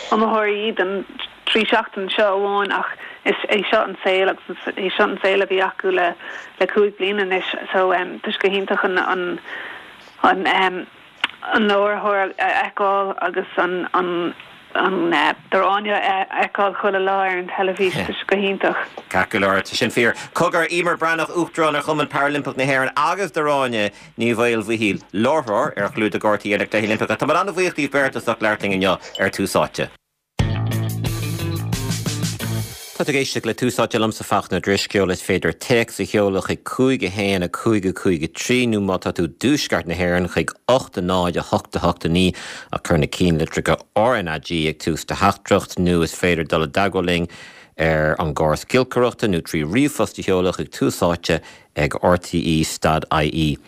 iomaitheoirí iad an trí seachtain seo amháin ach is é seo an saol agus is é seo an saol a bhí acu le le cúig bliana anois so um, tá sé go hiontach an an an um, an láithreoir a fheiceáil agus an an an Dráine a fheiceáil chuile lá ar an teilifís tá sé go hiontach. Ceart go leor, tá sin fíor. Cogar, Eimear Breathnach, Uachtarán ar Chumann Parailimpeach na hÉireann agus Dráine Ní Mhaolmhichíl, láithreoir ar chlúdach RTÉ na Cluichí Oilimpeacha. Tá mé an-bhuíoch díbh beirt as ucht labhairt linn inniu ar Tús Áite. Tá tú ag éisteacht le Tús Áite liomsa Fachtna Ó Drisceoil is féidir téacs a sheoladh chuig cúig a haon a cúig a cúig a trí nó má tá tú i dtuaisceart na hÉireann chuig ocht a náid a hocht a hocht a naoi ach cuir na ceannlitreacha RnaG ag tús do theachtaireacht nó is féidir dul i dteagmháil linn ar an gcóras giolcaireachta nó trí ríomhphost a sheoladh chuig Tús Áite ag rte stad ie.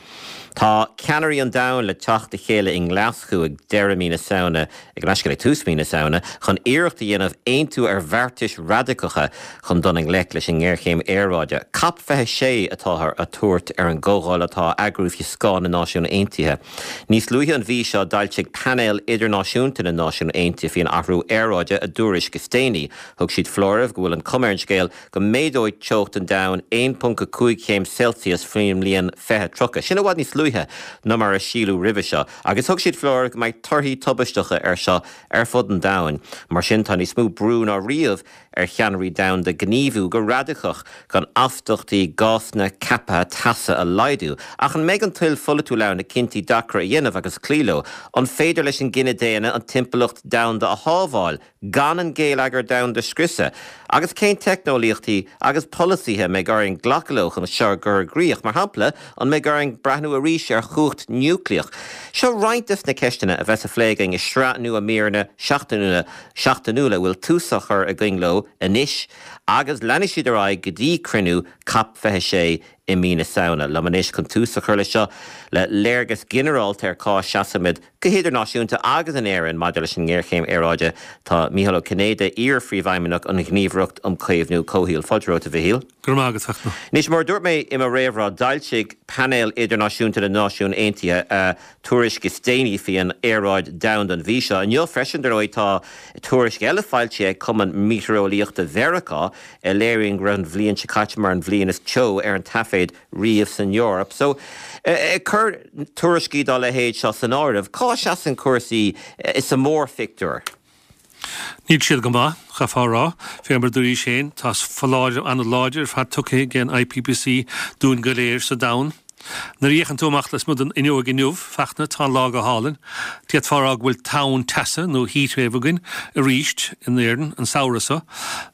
Tá ceannairí an domhain le teacht le chéile i nGlaschú ag deireadh mí na Samhna, ag an ag tús mí na Samhna, chun iarracht a dhéanamh aontú ar bheartais radicacha chun dul i ngleic leis an ngéarchéim aeráide. Cop fiche sé atáthar a thabhairt ar an gcomhdháil atá á eagrú faoi scáth na Náisiún Aontaithe. Níos luaithe an mhí seo d'fhoilsigh Painéal Idirnáisiúnta na Náisiún Aontaithe faoin athrú aeráide a dtuairisc is déanaí. Thug siad foláireamh go bhfuil an chuma ar an scéal go méadóidh teocht an domhain aon ponc a cúig chéim Celsius faoin mbliain fiche tríocha. Sin i bhfad níos luaithe ná mar a síleadh roimhe seo, agus thug siad foláireamh go mbeidh torthaí tubaisteacha air seo ar fud an domhain. Mar sin, tá níos mó brú ná riamh ar cheannairí domhanda gníomhú go radacach chun astaíochtaí gásanna ceaptha teasa a laghdú. Ach an mbeidh an toil pholaitiúil ann na cinntí deacra a dhéanamh agus cloí leo? An féidir leis an gcine daonna an timpeallacht domhanda a shábháil gan an geilleagar domhanda a scriosadh? Agus cén teicneolaíochtaí agus polasaithe a mbeidh orainn glacadh leo chun seo a chur i gcrích? Mar shampla, an mbeidh orainn breathnú arís ar chumhacht núicléach? Seo roinnt des na ceisteanna a bheas á phlé againn i sraith nua míreanna seachtainiúla seachtainiúla a bhfuil tús á chur againn leo anois agus leanfaidh siad ar aghaidh go dtí cruinniú Cop fiche sé i mí na Samhna. Liom anois chun tús a chur leis seo le léargas ginearálta ar cá seasaimid go hidirnáisiúnta agus in Éirinn maidir leis an ngéarchéim aeráide tá Mícheál Ó Cinnéide, iar-phríomhfheidhmeannach an Ghníomhaireacht um Chaomhnú Comhshaoil. Fáilte romhat, a Mhichíl. Go raibh maith agat, Fachtna. Anois, mar a dúirt mé i mo réamhrá, d'fhoilsigh Painéal Idirnáisiúnta na Náisiún Aontaithe a tuairisc is déanaí faoin aeráid domhanda an mhí seo. Inniu freisin, dar ndóigh, tá tuairisc eile foilsithe ag Cumann Meitéareolaíochta Mheiriceá a léiríonn go raibh an bhliain seo caite mar an bhliain is teo ar an taifead riamh san Eoraip. So, ag cur tuairiscí dá leithéid seo san áireamh, cá seasann cúrsaí sa mórphictiúr? Níl siad go maith, chaithfeá a rá. Fé mar a dúraís féin, tá foláireamh an-láidir ar fad tugtha ag an IPPC dúinn go léir sa domhan. Nuair a fhéachann tú amach lasmuigh den fhuinneog inniu, Fachtna, tá an lá go hálainn. D'fhéadfá a rá go bhfuil tonn teasa nó heatwave againn arís in Éirinn an samhradh seo,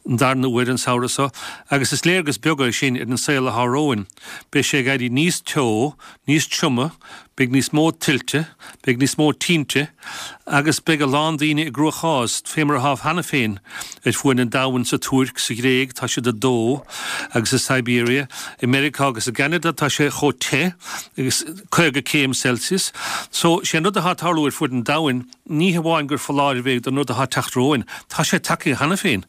an darna huair an samhradh seo, agus is léargas beag é sin ar an saol atá romhainn. Beidh sé ag éirí níos teo, níos troime, Beidh níos mó tuilte, beidh níos mó tinte agus beidh a lán daoine i gcruachás, fé mar atá cheana féin ar fuaid an domhain, sa Tuirc, sa Ghréig, tá siad ag dó, agus i Siberia. I Meiriceá agus i gCeanada tá sé chomh te agus caoga céim Celsius. So, sé an rud atá ag tarlú ar fuaid an domhain, ní hamháin gur foláireamh é don rud atá ag teacht romhainn, tá sé tagtha cheana féin.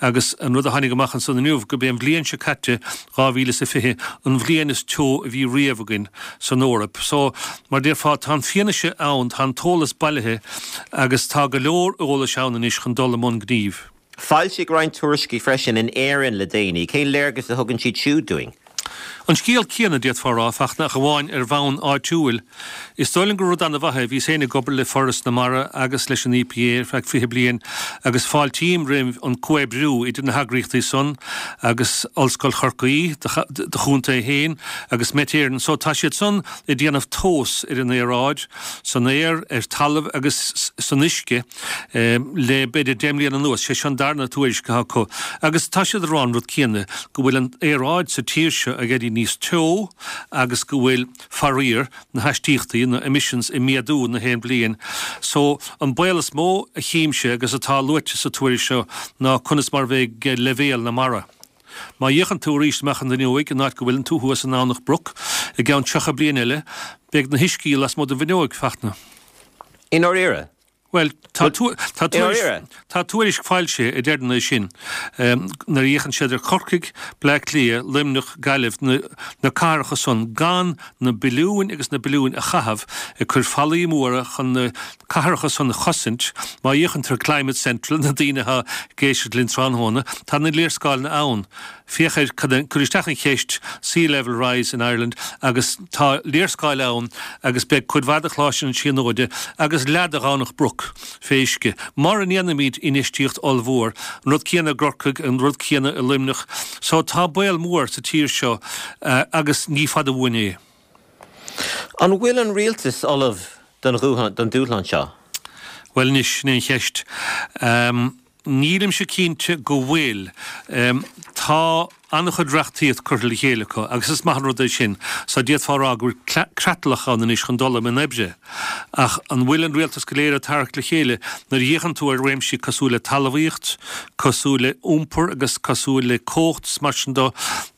Agus an rud a tháinig amach ansan inniu, gurb é an bhliain seo caite, dhá mhíle is a fiche, an bhliain is teo a bhí riamh againn san Eoraip. So, mar déarfá, tá an fianaise ann, tá an t-eolas bailithe agus tá go leor eolais ann anois chun dul i mbun gnímh. Foilsíodh roinnt tuairiscí freisin in Éirinn le déanaí. Cén léargas a thugann siad siúd dúinn? An scéal céanna, d'fhéadfá a rá, Fachtna, ach amháin ar bhonn áitiúil. Is dóigh liom gur rud an-mhaith é. Bhíos féin ag obair le Foras na Mara agus leis an EPA ar feadh fiche bliain agus fáiltím roimh an comhoibriú idir na heagraíochtaí san agus Ollscoil Chorcaí, do chontae féin, agus Met Éireann. So tá siad san ag déanamh tomhas ar an aeráid, san aer, ar talamh agus san uisce le b'fhéidir deich mbliana anuas. Sé seo an darna tuairisc atá acu agus tá siad ag rá an rud céanna, go bhfuil an aeráid sa tír seo ag éirí níos teo agus go bhfuil, faraor, na haistíochtaí, na emissions, ag méadú na haon bhliain. So, an baol is mó a chímse agus atá luaite sa tuairisc seo ná conas mar a bheidh leibhéal na mara. Má fhéachann tú arís amach an fhuinneoig, an áit go bhfuileann tú thuas i nDomhnach Broc, i gceann tríocha bliain eile, beidh na huiscí lasmuigh den bhfuinneoig, Fachtna. I ndáiríre? Bhuel, tá tá tuairisc foilsithe a deireann é sin nuair a fhéachann siad ar Chorcaigh, Bleá Cliath, Luimneach, Gaillimh, na cathracha san gan na billiúin agus na billiúin a chaitheamh ag cur fallaí móra chun na cathracha san a chosaint. Má fhéachann tú ar Climate Central, na daoine atá ag éisteacht linn tráthnóna, tá na léarscáileanna ann. Féach ar, cuir isteach an cheist 'Sea Level Rise in Ireland' agus tá léarscáil ann agus beidh cuid mhaith de Choláiste na Tríonóide agus leath de Dhomhnach Broc fé uisce. Mura ndéanaimid infheistíocht ollmhór, an rud céanna i gCorcaigh, an rud céanna i Luimneach. So tá baol mór sa tír seo agus ní fada uainn é. An bhfuil an rialtas ullamh don dúshlán seo? Bhuel anois, sin é an cheist. Nílimse cinnte go bhfuil. Tá an-chuid reachtaíocht curtha le chéile acu agus is maith an rud é sin, so d'fhéadfá a rá go bhfuil creatlach ann anois chun dul i mbun oibre. Ach an bhfuil an rialtas go léir ag tarrac le chéile nuair a fhéachann tú ar réimsí cosúil le talmhaíocht, cosúil le iompar agus cosúil le cumhacht is mar sin de,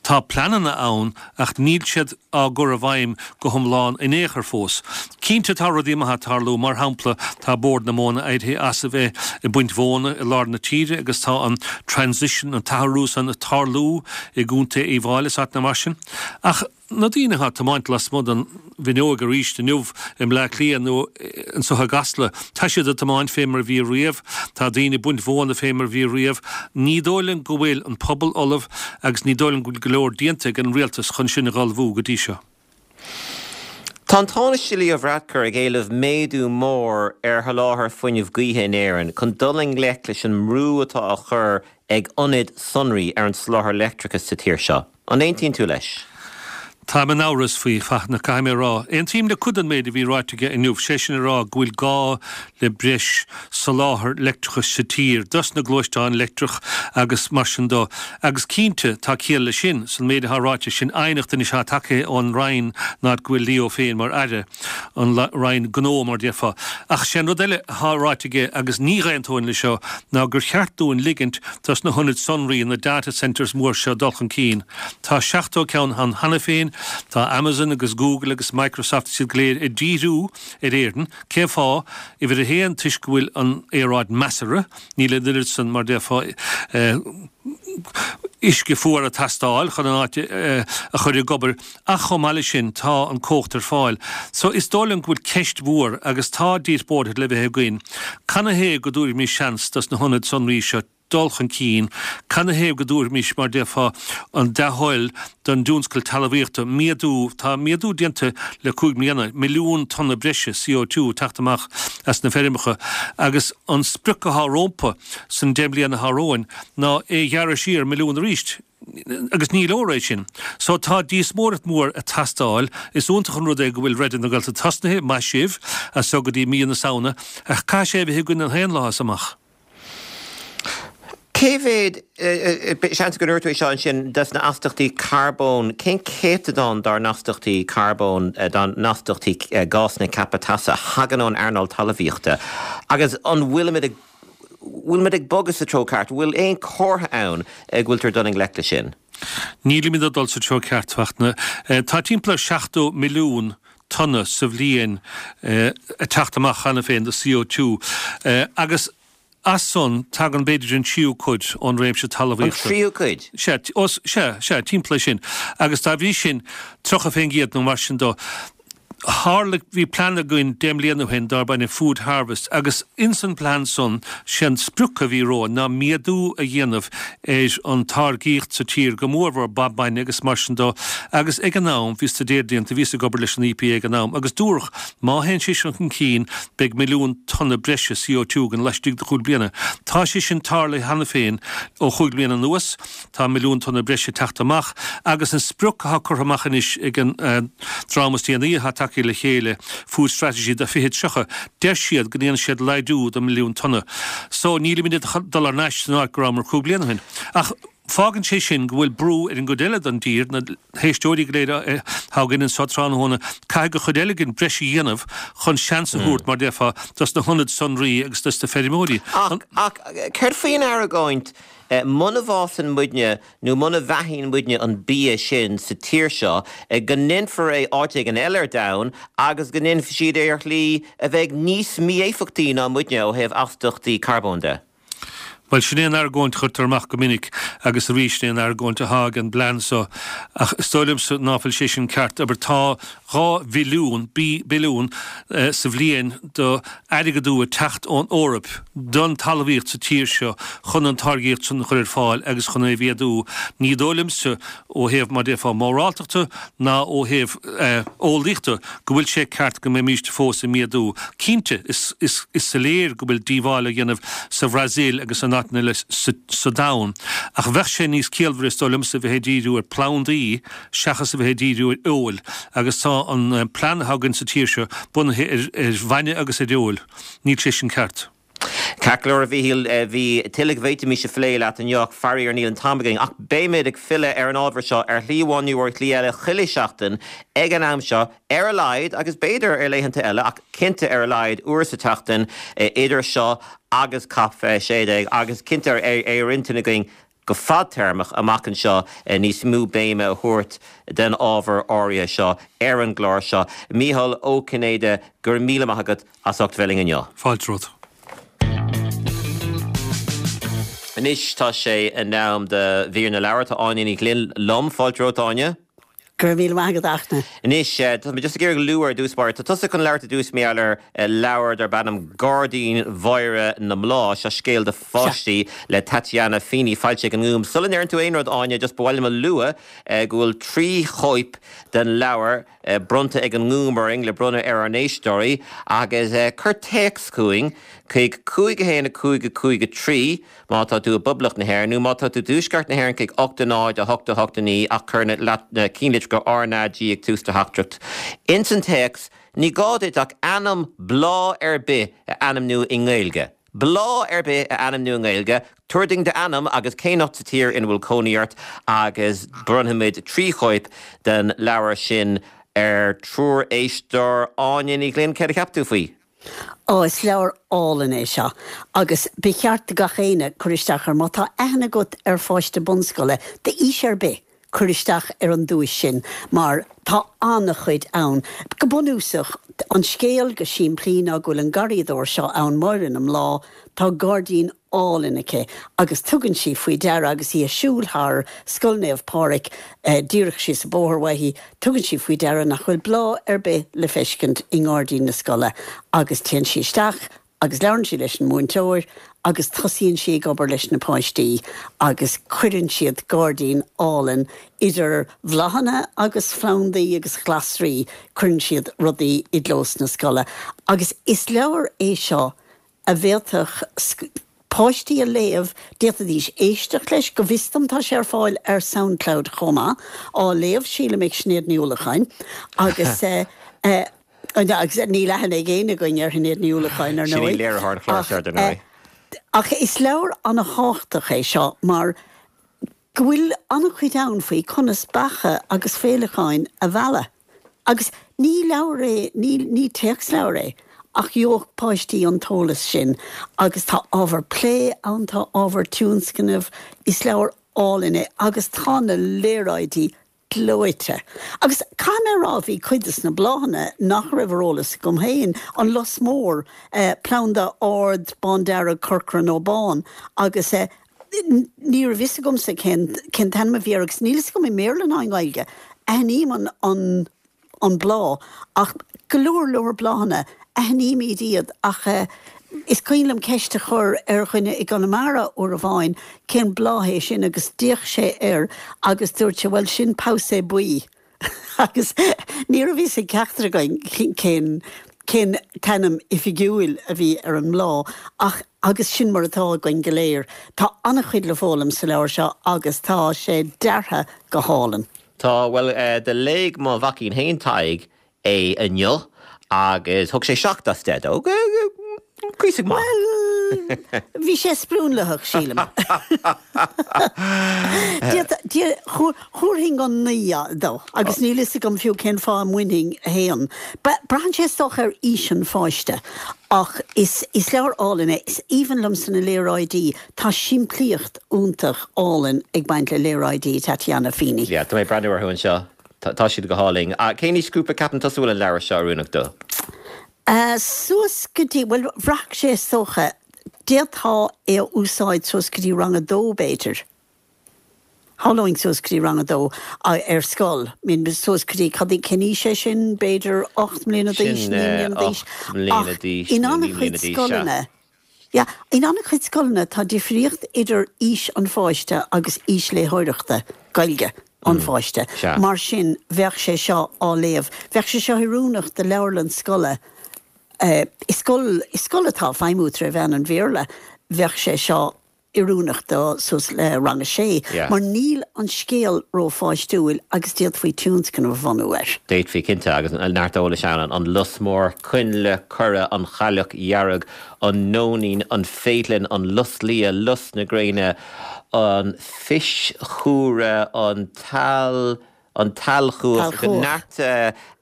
tá pleananna ann ach níl siad á gcur i bhfeidhm go hiomlán in aon chor fós. Cinnte tá rudaí maithe ag tarlú, mar shampla tá Bord na Móna éirithe as a bheith ag baint mhóna i lár na tíre agus tá an transition, an t-athrú san ag tarlú i gContae Uíbh Fhailí is áiteanna mar sin. Ach na daoine atá ag tiomáint lasmuigh den bhfuinneog arís inniu i mBleá Cliath nó anseo i gCasla, tá siad ag tiomáint fé mar a bhí riamh, tá daoine ag baint mhóna fé mar a bhí riamh. Ní dóigh liom go bhfuil an pobal ullamh agus ní dóigh liom go bhfuil go leor déanta ag an rialtas chun sin a dh'ullmhú go dtí seo. Tá an Tánaiste Leo Varadkar ag éileamh méadú mór ar sholáthar fuinnimh gaoithe in Éirinn chun dul i ngleic leis an mbrú atá á chur ag ionaid sonraí ar an soláthar leictreachais sa tír seo. An aontaíonn tú leis? Táim in amhras faoi, Fachtna, caithfidh mé a rá. Aontaím le cuid den méid a bhí ráite aige inniu, sé sin a rá go bhfuil gá le breis soláthar leictreachais sa tír, dos na gluaisteáin leictreach agus mar sin do. Agus cinnte, tá ciall leis sin, san méid atá ráite, sin aighneacht anois atá tagtha ón Roinn ná go bhfuil Leo féin mar Aire, an Roinn Gnó mar déarfá. Ach sé an rud eile atá ráite aige, agus ní dh'aontóinn leis seo, ná gur cheart dúinn ligint dos na hionaid sonraí, na data centres mór seo dul chun cinn. Tá seachtó ceann ann cheana féin, Tá Amazon agus Google agus Microsoft is iad go léir ag díriú ar Éirinn. Cén fáth? Uimhir a haon, toisc go bhfuil an aeráid measartha, níl an oiread san, mar déarfá, uisce fuar ag teastáil chun an áit a chur ag obair, ach chomh maith leis sin tá an cumhacht ar fáil. So is dóigh liom go bhfuil ceist mhór agus tá díospóireacht le bheith againn, canathaobh go dtabharfaimis seans dos na hionaid sonraí seo dul chun cinn, canathaobh go dtabharfaimis, mar déarfá, an dea-thoil don dtionscal talmhaíochta, méadú, tá méadú déanta le cúig mbliana, milliún tonna breise C O two ag teacht amach as na feirmeacha agus an sprioc athá rómpa san deich mbliana athá romhainn ná é a ghearradh siar milliún arís agus ní leor é sin. So tá díospóireacht mhór ag teastáil, is iontach an rud é go bhfuil Raidió na Gaeltachta tosnaithe, maith sibh, as so go dtí mí na Samhna, ach caithfidh sé a bheith againn an t-aon lá as amach. Cé mhéad, seans go ndúirt tú é seo ansin, des na astaíochtaí carbóin, cén céatadán dár n-astaíochtaí carbóin, dá n-astaíochtaí gásanna ceaptha teasa a thagann ón earnáil talmhaíochta agus an bhfuilimid ag, bhfuilimid ag bogadh sa treo ceart? Bhfuil aon chomhartha ann go bhfuiltear ag dul i ngleic leis sin? Nílimid ag dul sa treo ceart, a Fhachtna. Tá timpeall ar seachtó milliún tonna sa bhliain ag teacht amach cheana féin de C O two agus as san, tagann b'fhéidir an tríú cuid ón réimse talmhaíochta. An tríú cuid? Sea, os, sea, sea, timpeall é sin. Agus dá bhrí sin, tríocha fén gcéad nó mar sin do. Tharla, bhí plean againn deich mbliana ó shin darb ainm Food Harvest agus ins an plean san, sé an sprioc a bhí romhainn ná méadú a dhéanamh ar an táirgíocht sa tír, go mórmhór ba bainne agus mar sin do. Agus ag an am, bhí staidéar déanta, bhíos ag obair leis an E P A ag an am, agus dúradh má théann sé sin chun cinn, beidh milliún tonna breise C O two againn laistigh de chúig bliana. Tá sé sin tarlaithe cheana féin ó chúig bliana anuas, tá milliún tonna breise ag teacht amach agus an sprioc atá curtha amach anois ag an dream is déanaí atá tagtha le chéile, Food Strategy do fiche tríocha, deir siad go ndéanfaidh siad laghdú de milliún tonna. So nílimid ag dul thar n-ais san áit go rabhamar cúig bliana ó shin. Ach fágann sé sin go bhfuil brú ar an gcuid eile den dtír, na héisteoirí go léir atá againn anseo tráthnóna, caithfidh an chuid eile againn breis a dhéanamh chun seans a thabhairt, mar déarfá, dos na hionaid sonraí agus dos na feirmeoirí. Ach, ach céard faoin argóint muna bhfásann muidne nó muna bheathaíonn muidne an bia sin sa tír seo, go ndéanfar é áit éigin eile ar domhan agus go ndéanfaidh siad é ar shlí a bheidh níos mí-éifeachtaí ná muidne ó thaobh astaíochtaí carbóin de. Bhuel, sin é an argóint a chuirtear amach go minic agus arís é an argóint atá ag an bplean so. Ach is dóigh liomsa ná fuil sé sin ceart. Abair tá dhá bhilliún, billiún, sa bhliain do airgeadú ag teacht ón Eoraip don talmhaíocht sa tír seo chun an táirgíocht sin a chur ar fáil agus chun é a mhéadú. Ní dóigh liomsa, ó thaobh mar déarfá móráltachta ná ó thaobh eolaíochta, go bhfuil sé ceart go mbeimíst fós ag méadú. Cinnte, is soiléir go bhfuil díobháil á dhéanamh sa Bhrasaíl agus in áiteanna eile sa domhan, ach bheadh sé níos ciallmhaire, is dóigh liomsa, a bheith ag díriú ar phlandaí seachas a bheith ag díriú ar fheoil, agus tá an plean atá againn sa tír seo bunaithe ar bhainne agus ar fheoil. Níl sé sin ceart. Ceart go leor, a Mhíchíl, bhí tuilleadh go bhféadfaimis a phlé leat inniu ach faraor níl an t-am againn. Ach beimid ag filleadh ar an ábhar seo ar shlí amháin nó ar shlí eile chuile sheachtain ag an am seo, ar a laghad, agus b'fhéidir ar laethanta eile, ach cinnte ar a laghad uair sa tseachtain idir seo agus Cop a sé déag, agus cinnte ar ar intinn againn go fadtéarmach amach anseo níos mó béime a thabhairt den ábhar áirithe seo ar an gclár seo. Mícheál Ó Cinnéide, go raibh míle maith agat as ucht bheith linn inniu. Fáilte romhat. Anois tá sé in am do mhír na leabhar. Tá Áine Ní Ghlinn liom. Fáilte romhat, Áine. Go raibh míle maith agat, a Fhachtna. Anois, tá mé just ag iarraidh lua ar dtús báire. Tá tusa chun labhairt i dtús mar gheall ar leabhar darb ainm Gairdín Mháire na mBláth. Seo scéal do pháistí le Tatiana Feeney, foilsithe ag an nGúm. Sula ndeireann tú aon rud, Áine, just ba mhaith liom a lua go bhfuil trí chóip den leabhar bronnta ag an nGúm orainn le bronnadh ar ár n-éisteoirí agus cuir téacs chugainn chuig cúig a haon a cúig a cúig a trí má tá tú i bPoblacht na hÉireann nó má tá tú i dTuaisceart na hÉireann chuig ocht a náid a hocht a hocht a naoi ach cuir na cinnlitreacha R na G ag tús do theachtaireacht. Ins an téacs, ní gá duit ach ainm bláth ar bith a ainmniú i nGaeilge. Bláth ar bith a ainmniú i nGaeilge, tabhair dúinn d'ainm agus cén áit sa tír ina bhfuil cónaí ort agus bronnfaimid trí chóip den leabhar sin ar triúr éisteoir. Áine Ní Ghlinn, céard a cheap tú faoi? Ó, is leabhar álainn é seo agus ba cheart do gach éinne cur isteach air. Má tá aithne agat ar pháiste bunscoile d'aois ar bith, cuir isteach ar an duais sin mar tá an-chuid ann. Go bunúsach, an scéal go simplí ná go bhfuil an garraíodóir seo ann, Máire na mBláth, tá gairdín álainn aici agus tugann sí faoi deara agus í ag siúl thar Scoil Naomh Pádraig díreach síos an bóthar uaithi, tugann sí faoi deara nach bhfuil bláth ar bith le feiscint i ngairdín na scoile agus téann sí isteach agus labhrann sí leis an múinteoir agus tosaíonn sí ag obair leis na páistí agus cuireann siad gairdín álainn idir bhláthanna agus phlandaí agus ghlasraí, cuireann siad rudaí i gclós na scoile agus is leabhar é seo a bhféadfadh páistí a léamh, d'fhéadfaidís éisteacht leis, go bhfios dom tá sé ar fáil ar Soundcloud chomh maith, á léamh sílim ag Sinéad Ní Uallacháin agus agus níl aithne ag éinne againn ar Shinéad Ní Uallacháin ar Sin í ndóigh. léiritheoir an chláir Ach seo, ar ndóigh. ach is leabhar an-thábhachtach é seo mar go bhfuil an-chuid ann faoi conas beacha agus féileacáin a mhealladh. Agus ní leabhar é, ní ní téacsleabhar é, ach gheobhadh páistí an t-eolas sin agus tá ábhar plé ann, tá ábhar tionscnaimh, is leabhar álainn é agus tá na léaráidí gleoite. Agus caithfidh mé a rá, bhí cuid de na bláthanna nach raibh ar eolas agam féin, an lus mór, planda ard bándearg, corcra nó bán, agus ní raibh fhios agamsa cén cén t-ainm a bhí air agus níl fhios agam i mBéarla ná i nGaeilge. Aithním an an an bláth ach go leor leor bláthanna, aithnímid iad ach is cuimhin liom ceist a chur ar dhuine i gConamara uair amháin cén bláth é sin agus d'fhéach sé air agus dúirt sé bhuel sin pabhsae buí agus ní raibh fhios ag ceachtar againn cén cén t-ainm oifigiúil a bhí ar an mbláth ach agus sin mar atá againn go léir. Tá an-chuid le foghlaim sa leabhar seo agus tá sé deartha go hálainn. Tá, bhuel, do léigh mo mhaicín féin, Tadhg, é inniu agus thug sé seacht as deich dó. Cuíosach maith. Bhuel, bhí sé sprionlaitheach, sílim. Thabharfainn an naoi dó, agus níl fhios agam fiú cén fáth a mbainfinn a haon. Braitheann sé is dócha ar aois an pháiste, ach is leabhar álainn é. Is aoibhinn liomsa na léaráidí, tá simplíocht iontach álainn ag baint le léaráidí Tatiana Feeney. Yeah, tá mé ag breathnú orthu anseo. Tá siad go hálainn. Cén aoisghrúpa ceapann tusa a bhfuil an leabhar seo oiriúnach dó? Suas go dtí, bhuel, bhraithfeadh sé is dócha, d'fhéadfá é a úsáid suas go dtí rang a dó b'fhéidir. Shamhlóinn suas go dtí rang a dó ar scoil. I mean, suas go dtí, cad, cén aois é sin, b'fhéidir ocht mbliana d'aois, Sin naoi mbliana d'aois. ocht mbliana Ach d'aois in nó naoi an-chuid mbliana d'aois, sea. scoileanna, Yeah, in an-chuid scoileanna tá difríocht idir aois an pháiste agus aois léitheoireachta Gaeilge an pháiste. Sea. Mar sin, bheadh sé seo á léamh. Bheadh sé seo oiriúnach do leabharlann scoile. I scoil, i scoil atá ag feidhmiú tré mheán an Bhéarla, bheadh sé seo oiriúnach do suas le rang a sé, Yeah. mar níl an scéal rópháistiúil agus d'fhéadfaí tionscnamh a bhunú air. D'fhéadfaí, cinnte, agus neart eolais ann, an lus mór, coinnle, coire, an chailleach dhearg, an nóinín, an féithleann, an lus liath, lus na gréine, an phis chumhra, an t-eal, An t-ealchuach. T-ealchuach. Neart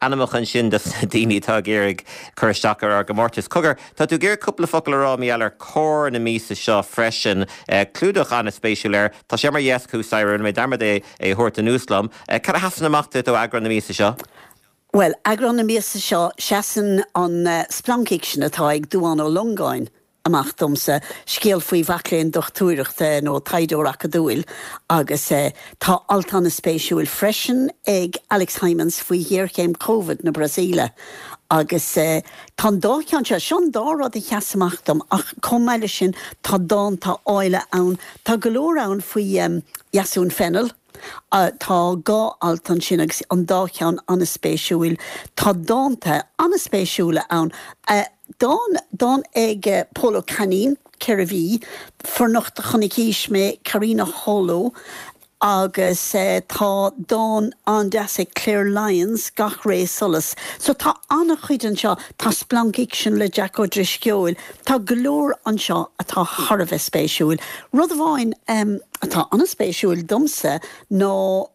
ainmneacha ansin dos na daoine atá ag iarraidh cur isteach ar ár gcomórtas. Cogar, tá tú ag iarraidh cúpla focal a rá mar gheall ar Comhar na míosa seo freisin. Clúdach an-spéisiúil air. Tá sé ar mo dheasc thuas staighre, rinne mé dearmad é a thabhairt anuas liom. Cad a sheasann amach duit ó eagrán na míosa seo? Bhuel, eagrán na míosa seo, seasann an splancfhicsean atá ag Dubhán Ó Longáin amach domsa, scéal faoi mhac léinn dochtúireachta nó taighdeoir acadúil agus tá alt an-spéisiúil freisin ag Alex Hijmans faoi ghéarchéim Covid na Brasaíle agus tá an dá cheann seo, seo an dá rud a sheas amach dom ach chomh maith leis sin tá dánta áille ann, tá go leor ann faoi Dheasún Fennell. Tá dhá alt ansin agus an dá cheann an-spéisiúil. Tá dánta an-spéisiúla ann. Dán, dán ag Pól Ó Cainín, ceithre mhí, Fornocht do chonaicís mé, Karina Hollo, agus tá dán an-deas ag Claire Lyons, Gach Ré Solas. So tá an-chuid anseo. Tá splancfhicsean le Jack Ó Drisceoil. Tá go leor anseo atá thar a bheith spéisiúil. Rud amháin atá an-spéisiúil domsa ná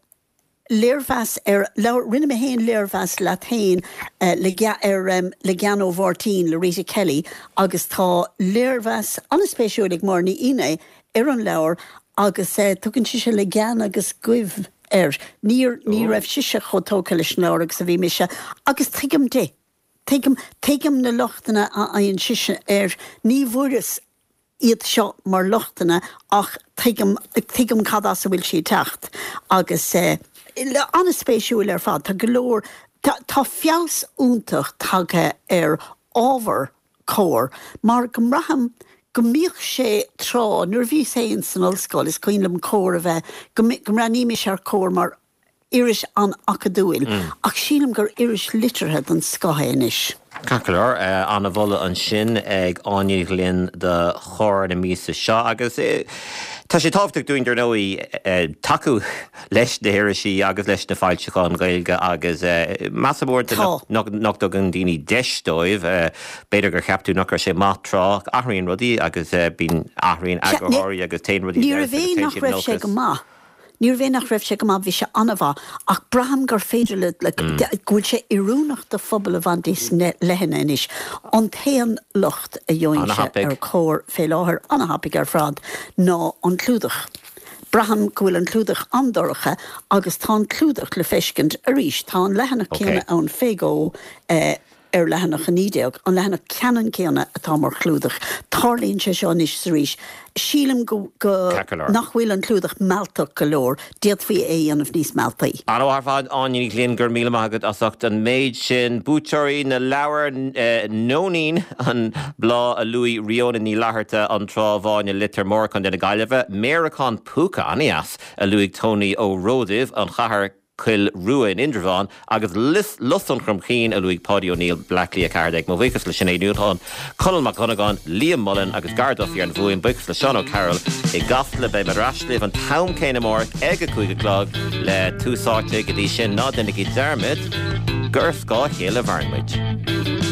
léirmheas ar leabhar, rinne mé féin léirmheas leat féin le ar Le Gean ó Mháirtín le Rita Kelly agus tá léirmheas an-spéisiúil ag Máire Ní Fhinné ar an leabhar agus tugann sise Le Gean agus Goimh air. Níor ní raibh sise chomh tógtha leis an leabhar agus a bhí mise agus tuigim di. Tuigim tuigim na lochtanna a fhaigheann sise air. Ní bhfuaireas iad seo mar lochtanna ach tuigim tuigim cad as a bhfuil sí ag teacht agus eh an-spéisiúil ar fad. Tá go leor tá tá feabhas iontach tagtha ar ábhar Comhar mar go mbraithim go mbíodh sé tráth, nuair a bhíos féin san ollscoil, is cuimhin liom Comhar a bheith, go mbreathnaímis ar Comhar mar iris an-acadúil, ach sílim gur iris liteartha den scoth é anois. Ceart go leor, an-mholadh ansin ag Áine Ní Ghlinn do Chomhar na míosa seo agus tá sé tábhachtach dúinn, dar ndóigh, tacú leis na hirisí agus leis na foilseacháin Ghaeilge agus measaim uaireanta nach dtugann daoine deis dóibh. B'fhéidir gur cheap tú nach raibh sé maith tráth. Athraíonn rudaí agus bíonn, athraíonn eagarthóirí agus téann rudaí i bhfeabhas agus téann siad in olcas. Níorbh é nach raibh sé go maith, bhí sé an-mhaith, ach braithim gur féidir le, le, go bhfuil sé oiriúnach do phobal i bhfad níos leithne anois. An t-aon locht a gheobhainnse ar Comhar fé láthair, an-thapaidh ar fad, ná an clúdach. Braithim go bhfuil an clúdach an-dorcha agus tá an clúdach le feiscint arís. Tá an leathanach céanna ann fé dhó ar leathanach a naoi déag, an leathanach ceannann céanna atá mar chlúdach. Tarlaíonn sé seo anois is arís. Sílim go, go, nach bhfuil an clúdach mealltach go leor. D'fhéadfaí é a dhéanamh níos mealltaí. An-mhaith ar fad, Áine Ní Ghlinn, go raibh míle maith agat as ucht an méid sin. Buaiteoirí na leabhar, Nóinín, an bláth a luaigh Ríona Ní Fhlatharta, An Trá Bháin i Leitir Móir, Contae na Gaillimhe, Méaracán Púca, an-dheas, a luaigh Tony Ó Ródaimh, An Chathair, Coill Rua in Indreabhán, agus Lus an Chromchinn a luaigh Páidí Ó Néill, Bleá Cliath a ceathair déag. Mo bhuíochas le Sinéad Ní Nualláin, Conall Mac Dhonnagáin, Liam Mullen agus Gar Duffy ar an bhfuaim. Buíochas le Seán O'Carroll i gCasla. Beidh mé ar ais libh an t-am céanna amárach ag a cúig a chlog le Tús Áite. Go dtí sin, ná déanaigí dearmad gur ar scáth a chéile a mhaireann muid.